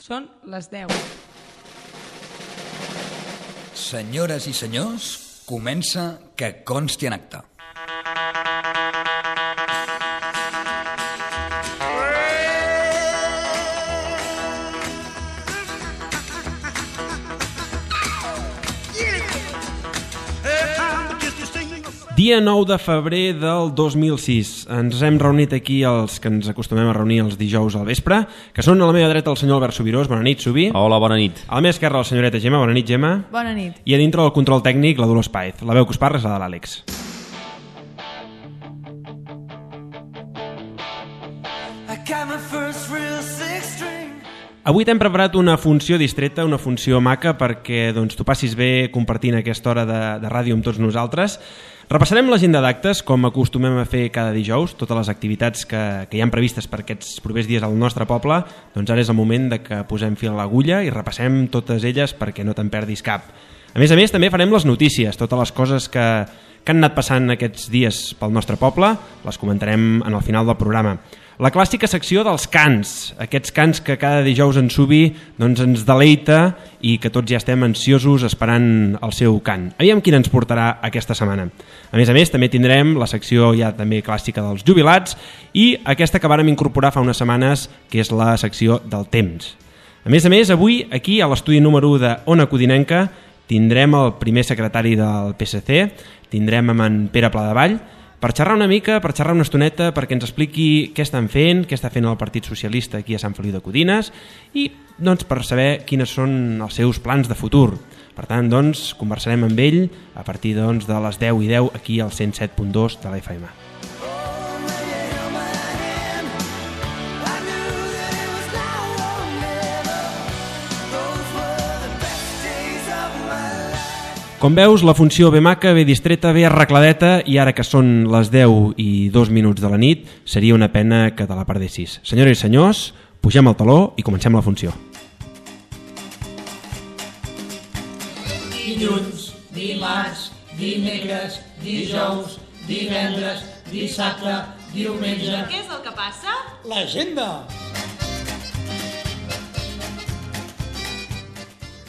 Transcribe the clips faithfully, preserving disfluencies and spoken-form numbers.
Són les deu. Senyores i senyors, comença Que consti en acta. Dia nou de febrer del dos mil sis. Ens hem reunit aquí els que ens acostumem a reunir els dijous al vespre, que són a la meva dreta el senyor Albert Subirós. Bona nit, Subi. Hola, bona nit. A la meva esquerra la senyoreta Gemma. Bona nit, Gemma. Bona nit. I a dintre del control tècnic la Dolors Paez. La veu que us parla és la de l'Àlex. Avui t'hem preparat una funció distreta, una funció maca, perquè doncs, tu passis bé compartint aquesta hora de, de ràdio amb tots nosaltres. Repassarem l'agenda d'actes, com acostumem a fer cada dijous, totes les activitats que, que hi han previstes per aquests propers dies al nostre poble. Doncs ara és el moment de que posem fil a l'agulla i repassem totes elles perquè no te'n perdis cap. A més a més, també farem les notícies, totes les coses que, que han anat passant aquests dies pel nostre poble, les comentarem en el final del programa. La clàssica secció dels cants, aquests cants que cada dijous en Subi doncs, ens deleita i que tots ja estem ansiosos esperant el seu cant. Aviam quin ens portarà aquesta setmana. A més a més, també tindrem la secció ja també clàssica dels jubilats i aquesta que vàrem incorporar fa unes setmanes, que és la secció del temps. A més a més, avui, aquí a l'estudi número u de Ona Codinenca, tindrem el primer secretari del P S C, tindrem amb en Pere Pladevall, per xerrar una mica, per xerrar una estoneta, perquè ens expliqui què estan fent, què està fent el Partit Socialista aquí a Sant Feliu de Codines i doncs, per saber quines són els seus plans de futur. Per tant, doncs, conversarem amb ell a partir doncs, de les deu i deu aquí al cent set punt dos de la F M. Com veus, la funció ve maca, ve distreta, ve arregladeta i ara que són les deu i dos minuts de la nit, seria una pena que te la perdessis. Senyores i senyors, pugem al taló i comencem la funció. Dilluns, dimarts, dimecres, dijous, divendres, dissabte, diumenge... Què és el que passa? L'agenda!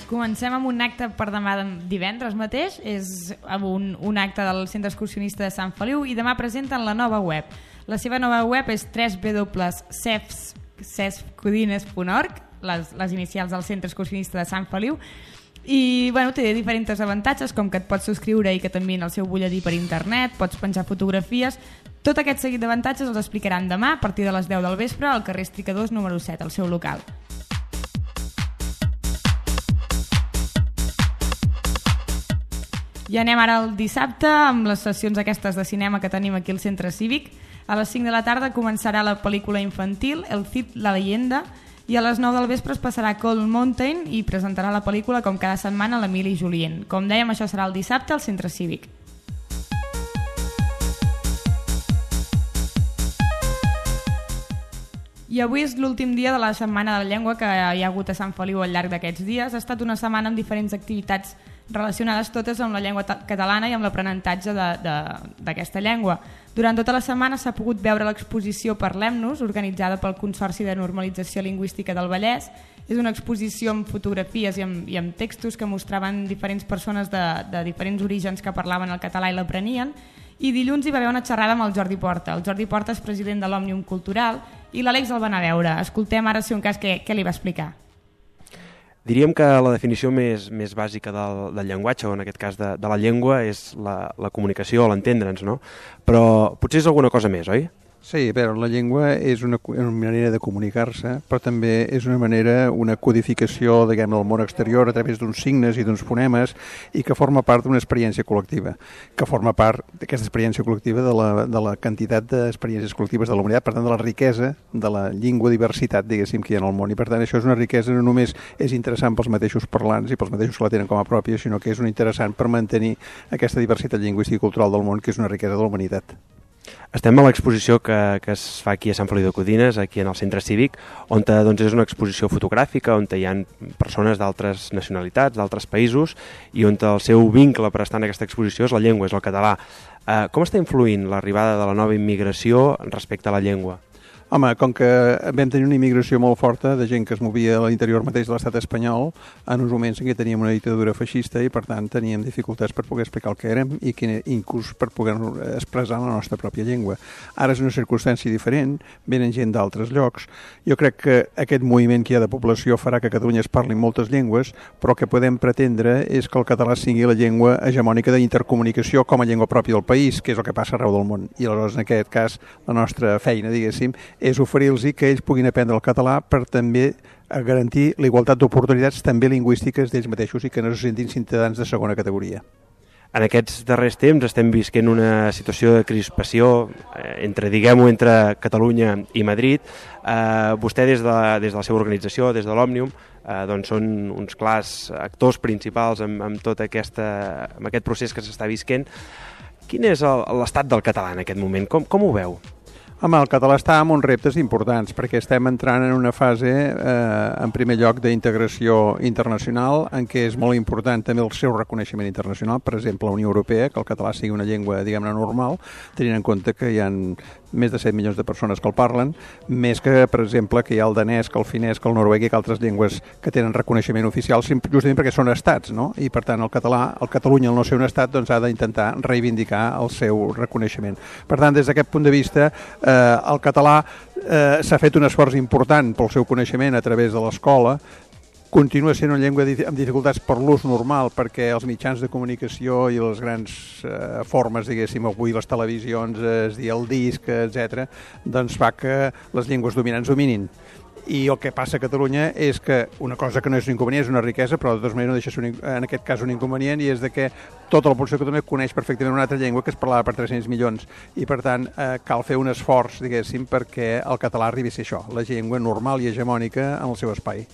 Comencem amb un acte per demà divendres mateix, és un, un acte del Centre Excursionista de Sant Feliu i demà presenten la nova web. La seva nova web és w w w punt cefcodines punt org, les, les inicials del Centre Excursionista de Sant Feliu, i bueno, té diferents avantatges, com que et pots subscriure i que t'envien el seu butlletí per internet, pots penjar fotografies. Tot aquest seguit d'avantatges els explicaran demà a partir de les deu del vespre al carrer Estricadors número set, al seu local. I anem ara al dissabte amb les sessions aquestes de cinema que tenim aquí al Centre Cívic. A les cinc de la tarda començarà la pel·lícula infantil El Cid, la leyenda, i a les nou del vespre es passarà Cold Mountain i presentarà la pel·lícula com cada setmana l'Emili Julien. Com dèiem, això serà el dissabte al Centre Cívic. I avui és l'últim dia de la Setmana de la Llengua que hi ha hagut a Sant Feliu al llarg d'aquests dies. Ha estat una setmana amb diferents activitats relacionades totes amb la llengua catalana i amb l'aprenentatge d'aquesta llengua. Durant tota la setmana s'ha pogut veure l'exposició Parlem-nos, organitzada pel Consorci de Normalització Lingüística del Vallès. És una exposició amb fotografies i amb, i amb textos que mostraven diferents persones de, de diferents orígens que parlaven el català i l'aprenien. I dilluns hi va haver una xerrada amb el Jordi Porta. El Jordi Porta és president de l'Òmnium Cultural i l'Àlex el va anar a veure. Escoltem ara, si un cas, què, què li va explicar. Diríem que la definició més, més bàsica del, del llenguatge, o en aquest cas de, de la llengua, és la, la comunicació, l'entendre'ns, no? Però potser és alguna cosa més, oi? Sí, però la llengua és una, una manera de comunicar-se, però també és una manera, una codificació, diguem, del món exterior a través d'uns signes i d'uns fonemes i que forma part d'una experiència col·lectiva, que forma part d'aquesta experiència col·lectiva de la, de la quantitat d'experiències col·lectives de la humanitat, per tant, de la riquesa de la llengua diversitat, diguéssim, que hi ha en el món. I per tant, això és una riquesa no només és interessant pels mateixos parlants i pels mateixos que la tenen com a pròpia, sinó que és una interessant per mantenir aquesta diversitat lingüística i cultural del món, que és una riquesa de la humanitat. Estem a l'exposició que, que es fa aquí a Sant Feliu de Codines, aquí en el Centre Cívic, on doncs, és una exposició fotogràfica, on hi ha persones d'altres nacionalitats, d'altres països, i on el seu vincle per estar en aquesta exposició és la llengua, és el català. Eh, com està influint l'arribada de la nova immigració respecte a la llengua? Home, com que vam tenir una immigració molt forta de gent que es movia a l'interior mateix de l'estat espanyol, en uns moments en què teníem una dictadura feixista i, per tant, teníem dificultats per poder explicar el que érem i que, inclús per poder expressar la nostra pròpia llengua. Ara és una circumstància diferent, venen gent d'altres llocs. Jo crec que aquest moviment que hi ha de població farà que a Catalunya es parlin moltes llengües, però el que podem pretendre és que el català sigui la llengua hegemònica d'intercomunicació com a llengua pròpia del país, que és el que passa arreu del món. I aleshores, en aquest cas, la nostra feina, diguéssim, és oferir-los que ells puguin aprendre el català per també garantir la igualtat d'oportunitats també lingüístiques d'ells mateixos i que no se sentin ciutadans de segona categoria. En aquests darrers temps estem visquent una situació de crispació entre, diguem-ho, entre Catalunya i Madrid. Eh, vostè des de, des de la seva organització, des de l'Òmnium, eh, doncs són uns clars actors principals en, en tot aquesta, en aquest procés que s'està visquent. Quin és l'estat del català en aquest moment? Com, com ho veu? Home, el català està amb uns reptes importants perquè estem entrant en una fase, eh, en primer lloc, d'integració internacional en què és molt important també el seu reconeixement internacional, per exemple, la Unió Europea, que el català sigui una llengua, diguem-ne, normal, tenint en compte que hi ha més de set milions de persones que el parlen, més que, per exemple, que hi ha el danès, que el finès, que el noruec i que altres llengües que tenen reconeixement oficial, justament perquè són estats, no? I, per tant, el català, el Catalunya, al no ser un estat, doncs ha d'intentar reivindicar el seu reconeixement. Per tant, des d'aquest punt de vista, eh, el català eh, s'ha fet un esforç important pel seu coneixement a través de l'escola. Continua sent una llengua amb dificultats per l'ús normal perquè els mitjans de comunicació i les grans eh, formes, diguéssim, avui les televisions, es dir el disc, etcètera, doncs fa que les llengües dominants dominin. I el que passa a Catalunya és que una cosa que no és un inconvenient, és una riquesa, però de totes maneres no deixa ser un, en aquest cas un inconvenient, i és de que tota la població de Catalunya coneix perfectament una altra llengua que es parlava per tres-cents milions, i per tant eh, cal fer un esforç, diguéssim, perquè el català arribi a ser això, la llengua normal i hegemònica en el seu espai.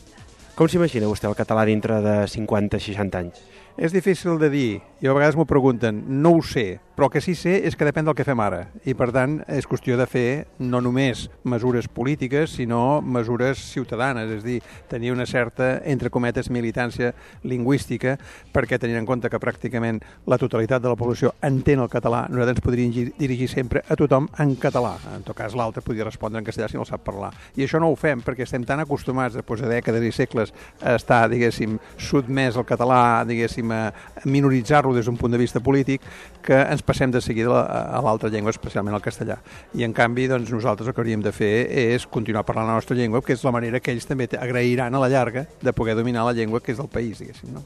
Com s'imagina vostè el català dintre de cinquanta o seixanta anys? És difícil de dir, i a vegades m'ho pregunten, no ho sé, però el que sí sé és que depèn del que fem ara, i per tant és qüestió de fer no només mesures polítiques, sinó mesures ciutadanes, és a dir, tenir una certa, entre cometes, militància lingüística, perquè tenint en compte que pràcticament la totalitat de la població entén el català, nosaltres ens podríem dirigir sempre a tothom en català, en tot cas l'altre podria respondre en castellà si no el sap parlar, i això no ho fem perquè estem tan acostumats després de dècades i segles a estar, diguéssim, sotmès al català, diguéssim, a minoritzar-lo des d'un punt de vista polític, que ens passem de seguida a l'altra llengua, especialment al castellà. I en canvi, doncs, nosaltres el que hauríem de fer és continuar parlant la nostra llengua, que és la manera que ells també agrairan a la llarga de poder dominar la llengua que és del país, diguéssim, no?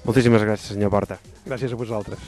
Moltíssimes gràcies, senyor Porta. Gràcies a vosaltres.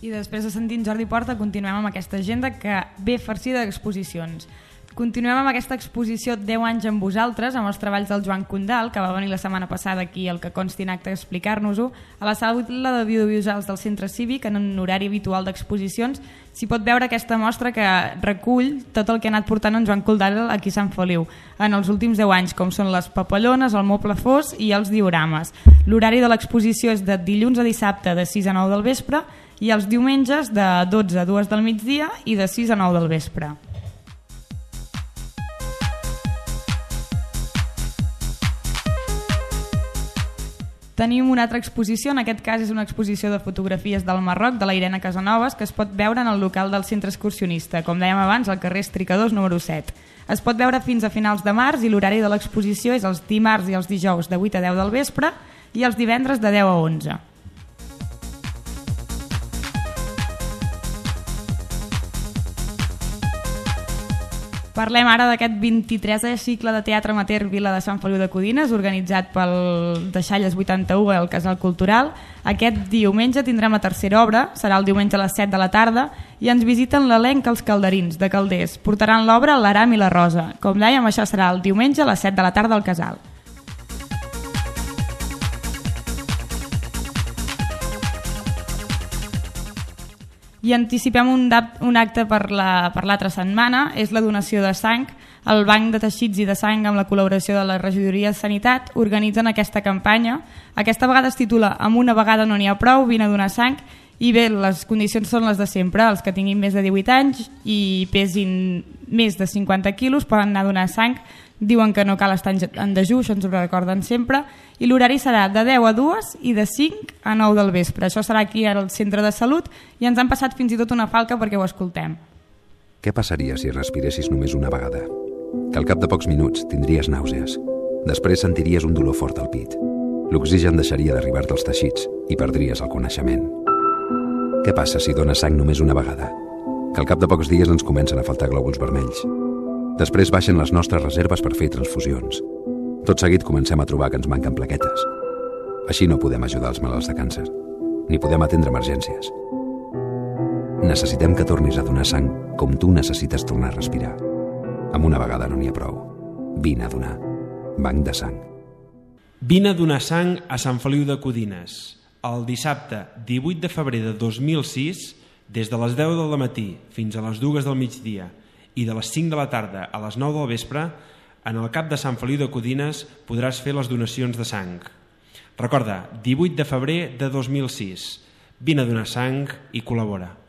I després de sentir en Jordi Porta, continuem amb aquesta agenda que ve farcida d'exposicions. Continuem amb aquesta exposició deu anys amb vosaltres, amb els treballs del Joan Condal, que va venir la setmana passada aquí al que consti en acte a explicar-nos-ho, a la sala de videovisuals del Centre Cívic, en un horari habitual d'exposicions. S'hi pot veure aquesta mostra que recull tot el que ha anat portant en Joan Condal aquí a Sant Feliu en els últims deu anys, com són les papallones, el moble fos i els diorames. L'horari de l'exposició és de dilluns a dissabte de sis a nou del vespre i els diumenges de dotze a dues del migdia i de sis a nou del vespre. Tenim una altra exposició, en aquest cas és una exposició de fotografies del Marroc, de la Irene Casanovas, que es pot veure en el local del centre excursionista, com dèiem abans, al carrer Estricadors número set. Es pot veure fins a finals de març i l'horari de l'exposició és els dimarts i els dijous de vuit a deu del vespre i els divendres de deu a onze. Parlem ara d'aquest vint-i-tresè cicle de teatre amateur Vila de Sant Feliu de Codines, organitzat pel Deixalles vuitanta-u al Casal Cultural. Aquest diumenge tindrem la tercera obra, serà el diumenge a les set de la tarda, i ens visiten l'elenc Els Calderins, de Calders. Portaran l'obra l'Aram i la Rosa. Com dèiem, això serà el diumenge a les set de la tarda al Casal. I anticipem un, un acte per la, per l'altra setmana, és la donació de sang. El Banc de Teixits i de Sang, amb la col·laboració de la Regidoria de Sanitat, organitzen aquesta campanya. Aquesta vegada es titula Amb una vegada no n'hi ha prou, vine a donar sang. I bé, les condicions són les de sempre. Els que tinguin més de divuit anys i pesin més de cinquanta quilos poden anar a donar sang. Diuen que no cal estar en dejú, això ens ho recorden sempre, i l'horari serà de deu a dues i de cinc a nou del vespre. Això serà aquí al centre de salut i ens han passat fins i tot una falca perquè ho escoltem. Què passaria si respiressis només una vegada? Que al cap de pocs minuts tindries nàusees. Després sentiries un dolor fort al pit. L'oxigen deixaria d'arribar-te als teixits i perdries el coneixement. Què passa si dones sang només una vegada? Que al cap de pocs dies ens comencen a faltar glòbuls vermells. Després baixen les nostres reserves per fer transfusions. Tot seguit comencem a trobar que ens manquen plaquetes. Així no podem ajudar els malalts de càncer, ni podem atendre emergències. Necessitem que tornis a donar sang com tu necessites tornar a respirar. Amb una vegada no n'hi ha prou. Vine a donar. Banc de sang. Vine a donar sang a Sant Feliu de Codines. El dissabte divuit de febrer de dos mil sis, des de les deu del matí fins a les dues del migdia i de les cinc de la tarda a les nou del vespre, en el cap de Sant Feliu de Codines podràs fer les donacions de sang. Recorda, divuit de febrer de dos mil sis. Vine a donar sang i col·labora.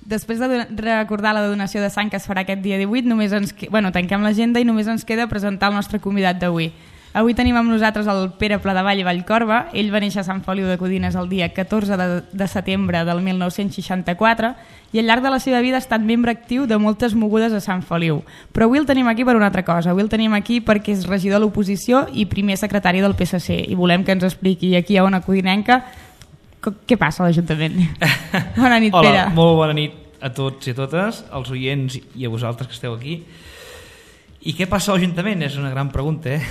Després de recordar la donació de sang que es farà aquest dia divuit, només ens que... bueno, tanquem l'agenda i només ens queda presentar el nostre convidat d'avui. Avui tenim amb nosaltres el Pere Pladevall i Vallcorba. Ell va néixer a Sant Feliu de Codines el dia catorze de setembre del mil nou-cents seixanta-quatre i al llarg de la seva vida ha estat membre actiu de moltes mogudes a Sant Feliu. Però avui el tenim aquí per una altra cosa. Avui el tenim aquí perquè és regidor de l'oposició i primer secretari del P S C i volem que ens expliqui aquí a Ona Codinenca què passa a l'Ajuntament. Bona nit, Pere. Hola, molt bona nit a tots i a totes, als oients i a vosaltres que esteu aquí. I què passa a l'Ajuntament? És una gran pregunta, eh?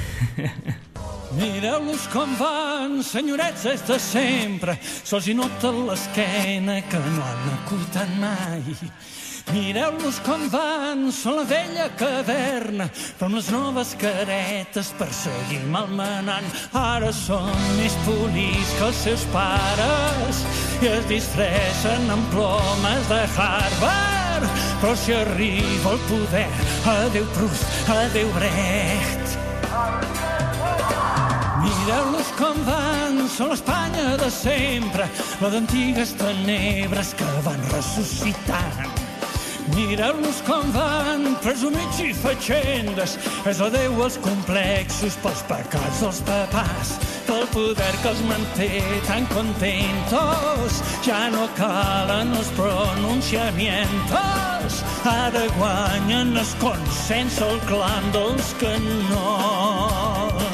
Mireu-los com van, senyorets, és de sempre. Sols hi nota l'esquena que no han acotat mai. Mireu-los com van, són la vella caverna, però amb les noves caretes per seguir malmenant. Ara són més polits que els seus pares i es disfressen amb plomes de Harvard. Però si arriba el poder, adeu Proust, adeu Brecht. Mireu-los com van, són l'Espanya de sempre, la d'antigues tenebres que van ressuscitant. Mireu-los com van, presumits i fatxendes, és adeu als complexos pels pecats dels papàs, pel poder que els manté tan contentos. Ja no calen els pronunciamientos, ara guanyen el consens el clam dels canons.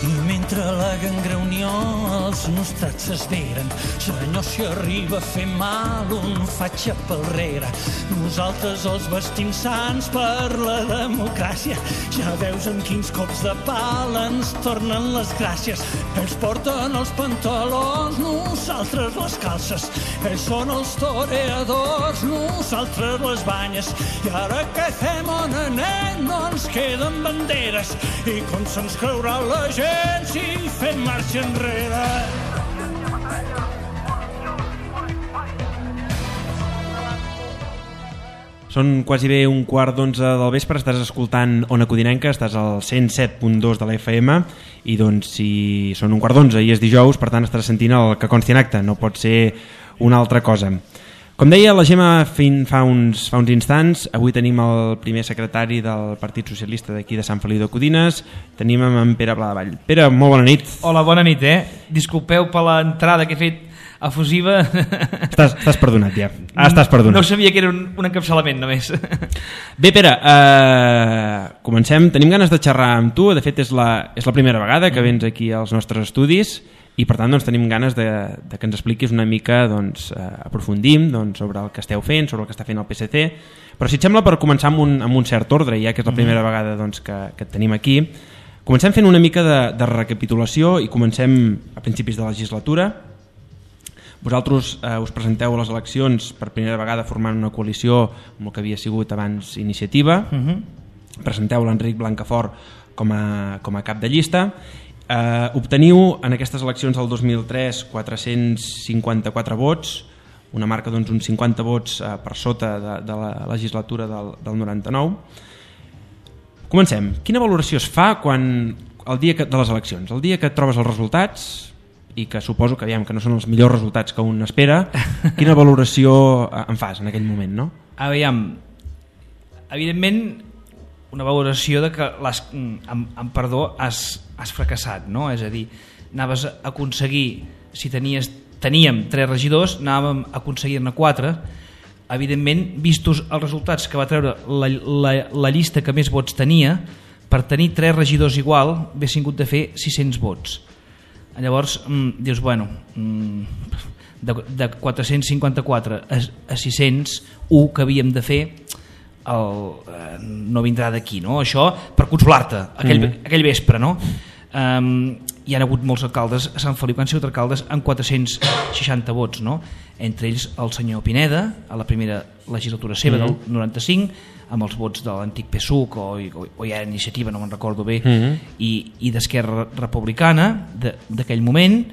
I mentre la gangreunió els nostrats s'esveren, senyor, si arriba a fer mal un faig a palrere. Nosaltres els vestim sants per la democràcia, ja veus amb quins cops de pal ens tornen les gràcies. Ells porten els pantalons, nosaltres les calces, ells són els toreadors, nosaltres les banyes. I ara què fem, on anem? No ens queden banderes, i com se'ns creurà la gent si fem marxa enrere? Són quasi bé un quart d'onze del vespre, estàs escoltant Ona Codinenca, estàs al cent set punt dos de la F M i doncs si són un quart d'onze i és dijous, per tant estaràs sentint el que consti en acte, no pot ser una altra cosa. Com deia la Gemma fa uns, fa uns instants, avui tenim el primer secretari del Partit Socialista d'aquí de Sant Feliu de Codines, tenim en Pere Pladevall. Pere, molt bona nit. Hola, bona nit, eh? Disculpeu per l'entrada que he fet efusiva. Estàs, estàs perdonat ja, ah, estàs perdonat. No sabia que era un, un encapçalament només. Bé, Pere, eh, comencem. Tenim ganes de xerrar amb tu, de fet és la, és la primera vegada que vens aquí als nostres estudis i per tant doncs, tenim ganes de, de que ens expliquis una mica, doncs, eh, aprofundim doncs, sobre el que esteu fent, sobre el que està fent el P S C, però si et sembla per començar amb un, amb un cert ordre, ja que és la primera mm. vegada doncs, que, que et tenim aquí, comencem fent una mica de, de recapitulació i comencem a principis de legislatura. Vosaltres eh, us presenteu a les eleccions per primera vegada formant una coalició amb el que havia sigut abans Iniciativa, mm-hmm. presenteu l'Enric Blancafort com a, com a cap de llista. Eh, obteniu en aquestes eleccions del dos mil tres quatre-cents cinquanta-quatre vots, una marca doncs uns cinquanta vots eh, per sota de, de la legislatura del, del noranta-nou. Comencem. Quina valoració es fa quan el dia que, de les eleccions, el dia que et trobes els resultats i que suposo que, aviam, que no són els millors resultats que un espera, quina valoració en fas en aquell moment, no? Aviam, evidentment una valoració de que les, amb, amb perdó es has fracassat, no? És a dir, anaves a aconseguir, si tenies, teníem tres regidors, anàvem a aconseguir-ne quatre. Evidentment, vistos els resultats que va treure la, la, la llista que més vots tenia, per tenir tres regidors igual, haguessin hagut de fer sis-cents vots. Llavors, mm, dius, bueno, mm, de, de quatre-cents cinquanta-quatre a, a sis-cents, un que havíem de fer, el, eh, no vindrà d'aquí, no? Això per consolar-te aquell, mm -hmm. aquell vespre, no? Um, hi ha hagut molts alcaldes a Sant Feliu que han sigut alcaldes amb quatre-cents seixanta vots, no? Entre ells el senyor Pineda a la primera legislatura seva, mm -hmm. del noranta-cinc, amb els vots de l'antic P S U C o, o, o ja Iniciativa, no me'n recordo bé, mm -hmm. i, i d'Esquerra Republicana d'aquell moment,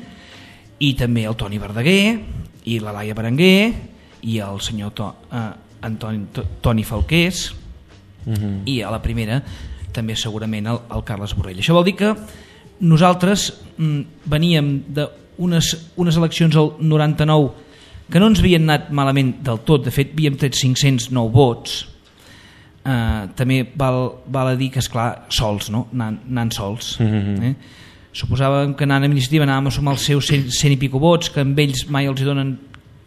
i també el Toni Verdaguer i la Laia Berenguer i el senyor to, eh, Antoni, to, Toni Falqués, mm -hmm. i a la primera també segurament el, el Carles Borrell. Això vol dir que nosaltres mm, veníem d'unes unes eleccions al noranta-nou que no ens havien anat malament del tot, de fet havíem tret cinc-cents nou vots. Uh, també val, val a dir que, esclar, sols, no? Anant, anant sols. Mm-hmm. eh? Suposàvem que anant a Iniciativa anàvem a sumar els seus cent, cent i pico vots, que amb ells mai els hi donen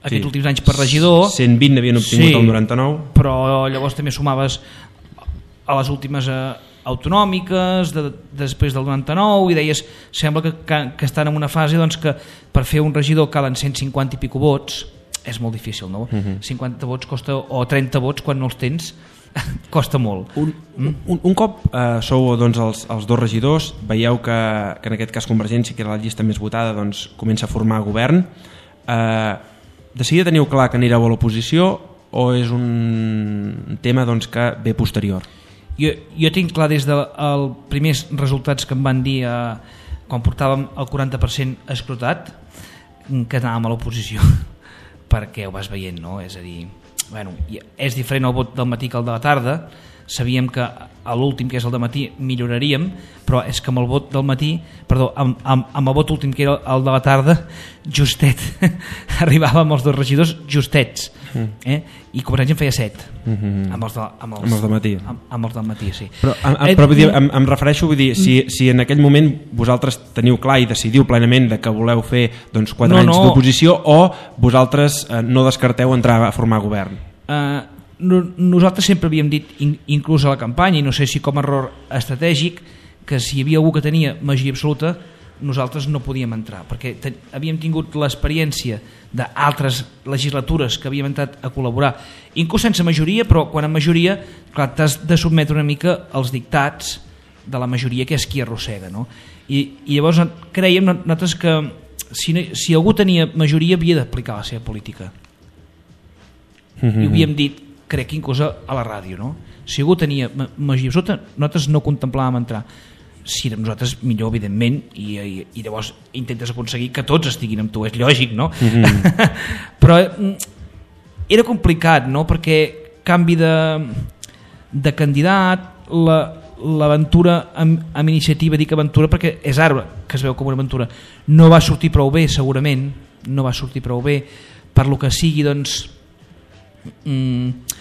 aquests sí. últims anys per regidor. cent vint n'havien obtingut sí, el noranta-nou. Però llavors també sumaves a les últimes eh, autonòmiques de, després del noranta-nou i deies, sembla que, que, que estan en una fase doncs, que per fer un regidor calen cent cinquanta i pico vots. És molt difícil, no? Mm-hmm. cinquanta vots costa, o trenta vots quan no els tens costa molt. Un, mm? un, un cop eh, sou doncs, els, els dos regidors, veieu que, que en aquest cas Convergència, que era la llista més votada, doncs, comença a formar govern. Eh, de seguida teniu clar que anireu a l'oposició o és un tema doncs, que ve posterior? Jo, jo tinc clar des dels de primers resultats que em van dir eh, quan portàvem el quaranta per cent escrutat que anàvem a l'oposició perquè ho vas veient, no? És a dir, bueno, és diferent el vot del matí que el de la tarda. Sabíem que a l'últim, que és el de matí, milloraríem, però és que amb el vot del matí, perdó, amb, amb, amb el vot últim, que era el de la tarda, justet arribàvem els dos regidors justets, eh? I Convergència en feia set mm-hmm. amb, els de, amb, els, amb els del matí amb, amb els del matí, sí. Però em, però, vull dir, em, em refereixo, vull dir, si, si en aquell moment vosaltres teniu clar i decidiu plenament de que voleu fer doncs, quatre no, anys no. d'oposició, o vosaltres eh, no descarteu entrar a formar govern? Uh, nosaltres sempre havíem dit, inclús a la campanya, i no sé si com a error estratègic, que si hi havia algú que tenia majoria absoluta nosaltres no podíem entrar, perquè ten, havíem tingut l'experiència d'altres legislatures que havíem entrat a col·laborar, inclús sense majoria, però quan amb majoria, clar, t'has de sotmetre una mica als dictats de la majoria, que és qui arrossega, no? I, i llavors creiem nosaltres que si, si algú tenia majoria havia d'aplicar la seva política. Mm-hmm. I ho havíem dit, crec que inclús a la ràdio, no? Si algú tenia majoria absoluta, nosaltres no contemplàvem entrar. Si érem nosaltres, millor, evidentment, i, i, i llavors intentes aconseguir que tots estiguin amb tu, és lògic, no? Mm-hmm. Però era complicat, no? Perquè canvi de, de candidat, l'aventura la, amb, amb iniciativa, dic aventura perquè és ara que es veu com una aventura, no va sortir prou bé, segurament, no va sortir prou bé, per lo que sigui, doncs, mm,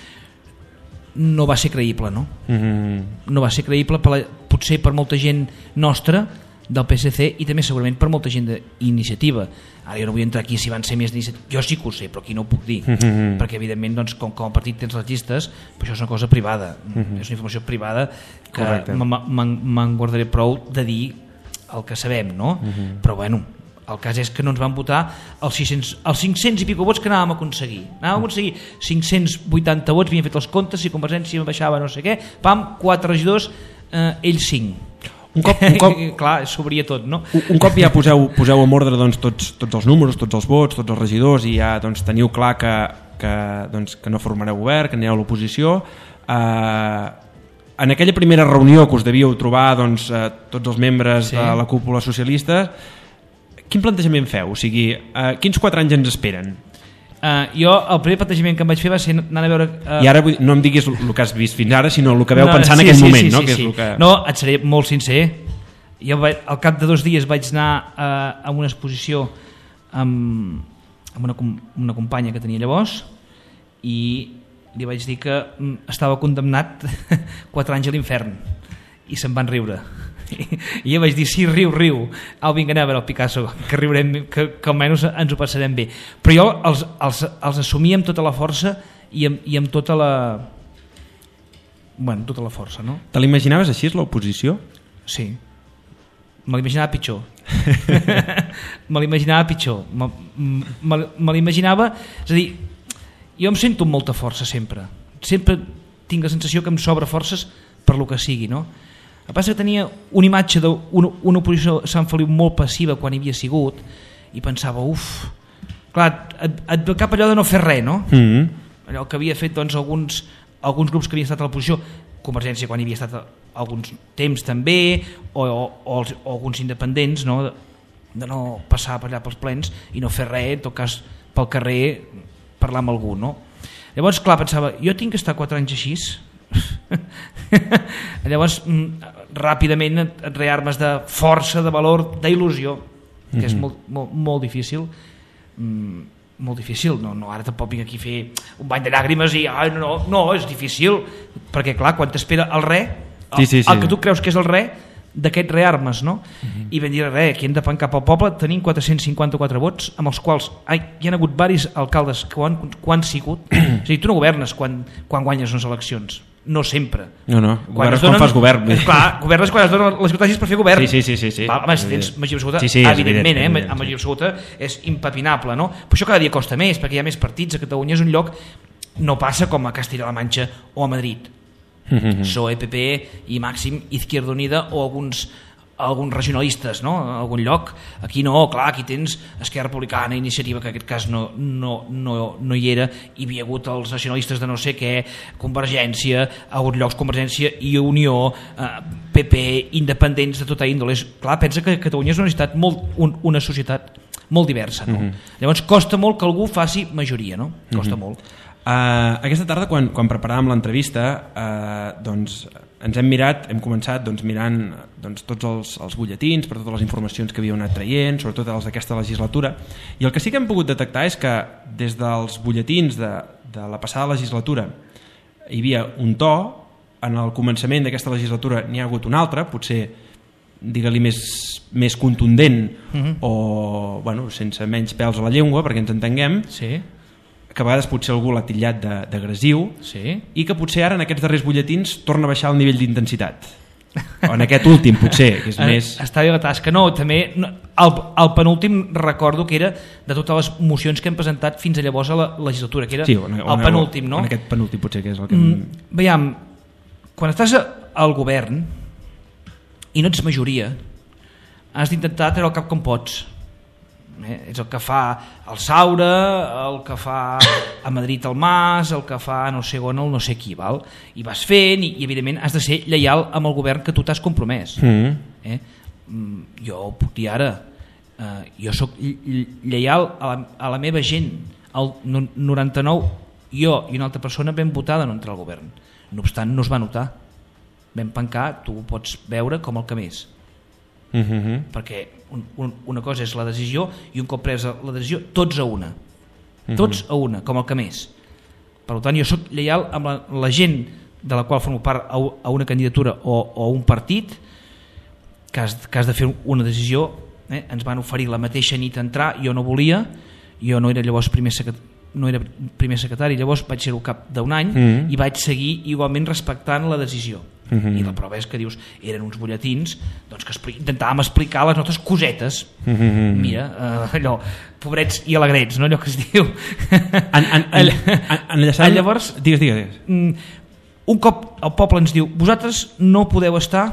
no va ser creïble, no? Mm-hmm. No va ser creïble per la, potser per molta gent nostra del P S C i també segurament per molta gent d'iniciativa. Ara jo no vull entrar aquí si van ser més d'iniciativa, jo sí que ho sé, però aquí no ho puc dir, mm-hmm. perquè evidentment doncs, com, com a partit tens les llistes, però això és una cosa privada, mm-hmm. és una informació privada que me'n guardaré prou de dir el que sabem, no? Mm-hmm. Però bueno, el cas és que no ens van votar els, sis-cents, els cinc-cents i pico vots que anàvem a aconseguir. Anàvem a aconseguir cinc-cents vuitanta vots, havíem fet els comptes, si Convergència baixava no sé què, pam, quatre regidors, eh, ells cinc. Un cop, un cop, clar, s'obria tot, no? Un, un cop ja poseu, poseu en ordre doncs, tots, tots els números, tots els vots, tots els regidors, i ja doncs, teniu clar que, que, doncs, que no formareu govern, que anireu a l'oposició. Eh, en aquella primera reunió que us devíeu trobar doncs, eh, tots els membres sí. de la cúpula socialista, quin plantejament feu? O sigui, uh, quins quatre anys ens esperen? Uh, jo, el primer plantejament que em vaig fer va ser anar a veure... Uh... I ara no em diguis el que has vist fins ara, sinó el que veu no, pensar sí, en aquell sí, moment, sí, no? Sí, que és sí. el que... No, et seré molt sincer. Jo vaig, al cap de dos dies vaig anar uh, a una exposició amb, amb una, una companya que tenia llavors i li vaig dir que estava condemnat quatre anys a l'infern i se'n van riure. I jo vaig dir, sí, riu, riu. Au, vinga, anem a veure el Picasso, que riurem, que, que almenys ens ho passarem bé. Però jo els, els, els assumia amb tota la força i amb, i amb tota la... Bueno, tota la força, no? Te l'imaginaves així, l'oposició? Sí. Me l'imaginava pitjor. Me l'imaginava pitjor. Me, me, me l'imaginava... És a dir, jo em sento amb molta força sempre. Sempre tinc la sensació que em sobra forces per lo que sigui, no? El que passa que tenia una imatge d'una una oposició a Sant Feliu molt passiva quan hi havia sigut i pensava, uf... Clar, et, et ve cap allò de no fer res, no? Mm-hmm. Allò que havia fet doncs, alguns... alguns grups que havien estat a l'oposició, Convergència quan hi havia estat alguns temps també, o, o, o, els, o alguns independents, no? De, de no passar per allà pels plens i no fer res, en tot cas pel carrer parlar amb algú, no? Llavors, clar, pensava, jo tinc que estar quatre anys així. Llavors, ràpidament et rearmes de força, de valor, d'il·lusió, que mm-hmm. és molt, molt, molt difícil. Mm, molt difícil, no, no, ara tampoc vinc aquí a fer un bany de llàgrimes i ai, no, no, és difícil, perquè clar, quan t'espera el re, el, sí, sí, sí. el que tu creus que és el re, d'aquest rearmes, no? Uh-huh. I vam dir, re, aquí hem de pencar pel poble, tenim quatre-cents cinquanta-quatre vots, amb els quals ai, hi ha hagut varis alcaldes que ho han, que ho han sigut. És a dir, tu no governes quan, quan guanyes unes eleccions, no sempre. No, no, governes quan, quan fas govern. Clar, governes quan es donen les circumstàncies per fer govern. Sí, sí, sí, sí, sí. Val, home, si tens majoria absoluta, sí, sí, evidentment, evident, eh, evident, amb majoria sí. absoluta és impepinable, no? Però això cada dia costa més, perquè hi ha més partits, a Catalunya és un lloc, no passa com a Castilla-La Manxa o a Madrid. Mm-hmm. P S O E, P P i Màxim, Izquierda Unida o alguns alguns regionalistes, no? En algun lloc. Aquí no, clar, aquí tens Esquerra Republicana, Iniciativa, que en aquest cas no, no, no, no hi era, hi havia hagut els nacionalistes de no sé què, Convergència, a alguns llocs Convergència i Unió, eh, P P, independents de tota índole. Clar, pensa que Catalunya és una societat molt, un, una societat molt diversa, no? Mm-hmm. Llavors costa molt que algú faci majoria, no? Costa mm-hmm. molt. Uh, aquesta tarda, quan, quan preparàvem l'entrevista, uh, doncs ens hem mirat, hem començat doncs, mirant doncs, tots els, els butlletins per totes les informacions que havíem anat traient, sobretot els d'aquesta legislatura, i el que sí que hem pogut detectar és que des dels butlletins de, de la passada legislatura hi havia un to, en el començament d'aquesta legislatura n'hi ha hagut un altre, potser digue-li més, més contundent uh-huh. o bueno, sense menys pèls a la llengua perquè ens entenguem, sí. que a vegades potser algú l'ha titllat d'agressiu, sí. i que potser ara en aquests darrers butlletins torna a baixar el nivell d'intensitat. O en aquest últim potser, que és més... Està bé la tasca. No, també el, el penúltim recordo que era de totes les mocions que hem presentat fins a llavors a la legislatura, que era sí, on, on, el penúltim, no? En aquest penúltim potser que és el que... Mm, veiem, quan estàs al govern i no ets majoria, has d'intentar treure el cap com pots. Eh? És el que fa el Saura, el que fa a Madrid el Mas, el que fa no sé on el no sé qui, val? I vas fent i, i evidentment has de ser lleial amb el govern que tu t'has compromès. Mm. Eh? Jo ho puc dir ara, eh, jo sóc lleial a la, a la meva gent. El noranta-nou jo i una altra persona vam votar de no entrar al govern, no obstant no es va notar, vam pencar, tu ho pots veure com el que més. Mm-hmm. Perquè un, un, una cosa és la decisió i un cop presa la decisió tots a una, tots a una, com el que més. Per tant, jo soc lleial amb la, la gent de la qual formo part a, a una candidatura o, o a un partit que has, que has de fer una decisió. Eh? Ens van oferir la mateixa nit entrar, jo no volia, jo no era llavors primer secretari, no era primer secretari, llavors vaig ser-ho cap d'un any mm-hmm. i vaig seguir igualment respectant la decisió. Mm-hmm. I la prova és que dius, eren uns butlletins doncs, que expli- intentàvem explicar les nostres cosetes. Mm-hmm. Mira, uh, allò, pobrets i alegrets, no? Allò que es diu. En, en, en, en, enllaçant... Llavors, digues, digues. Un cop el poble ens diu, vosaltres no podeu estar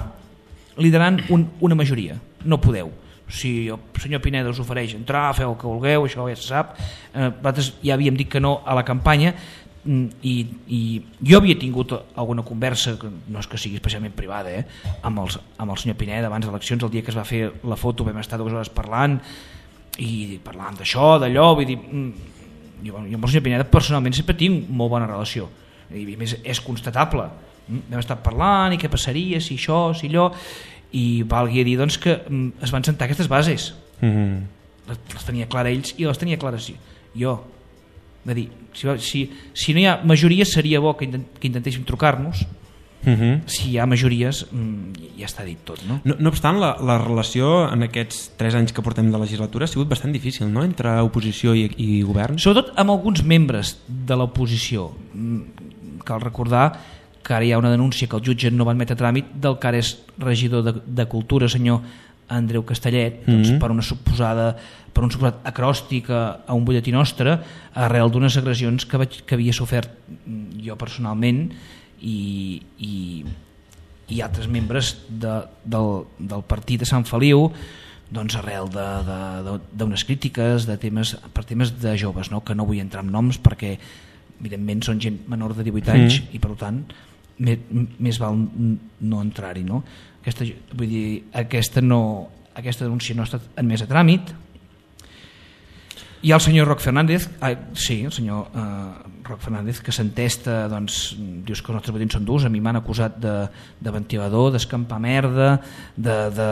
liderant un, una majoria, no podeu. Si el senyor Pineda us ofereix entrar, feu el que vulgueu, això ja se sap. Eh, nosaltres ja havíem dit que no a la campanya i, i jo havia tingut alguna conversa, que no és que sigui especialment privada, eh, amb, els, amb el senyor Pineda abans de eleccions, el dia que es va fer la foto vam estar dues hores parlant i parlant d'això, d'allò, vull dir, jo, jo amb el senyor Pineda personalment sempre tinc molt bona relació i a més és constatable, vam estar parlant i què passaria si això, si allò, i valgui a dir doncs, que es van sentar aquestes bases. Mm-hmm. les, les tenia clara ells i les tenia clares jo. De dir, si, si, si no hi ha majoria seria bo que, intent, que intentéssim trucar-nos Uh-huh. Si hi ha majories, ja està dit tot, no? No, no obstant, la, la relació en aquests tres anys que portem de legislatura ha sigut bastant difícil, no?, entre oposició i, i govern. Sobretot amb alguns membres de l'oposició. Cal recordar que ara hi ha una denúncia que el jutge no va admetre a tràmit del que ara és regidor de, de Cultura, senyor Andreu Castellet, doncs, mm-hmm. per una suposada per un suposat acròstic a, a un butlletí nostre arrel d'unes agressions que, vaig, que havia sofert jo personalment i, i, i altres membres de, del, del partit de Sant Feliu, doncs arrel d'unes crítiques de temes, per temes de joves, no? Que no vull entrar en noms perquè evidentment són gent menor de divuit anys mm. i per tant més, més val no entrar-hi, no? Aquesta, vull dir, aquesta, no, aquesta denúncia no ha estat admesa a tràmit. I el senyor Roc Fernández, ah, sí, el senyor eh, Roc Fernández, que s'entesta, doncs, dius que els nostres votants són durs, a mi m'han acusat de, de ventilador, d'escampar merda, de, de,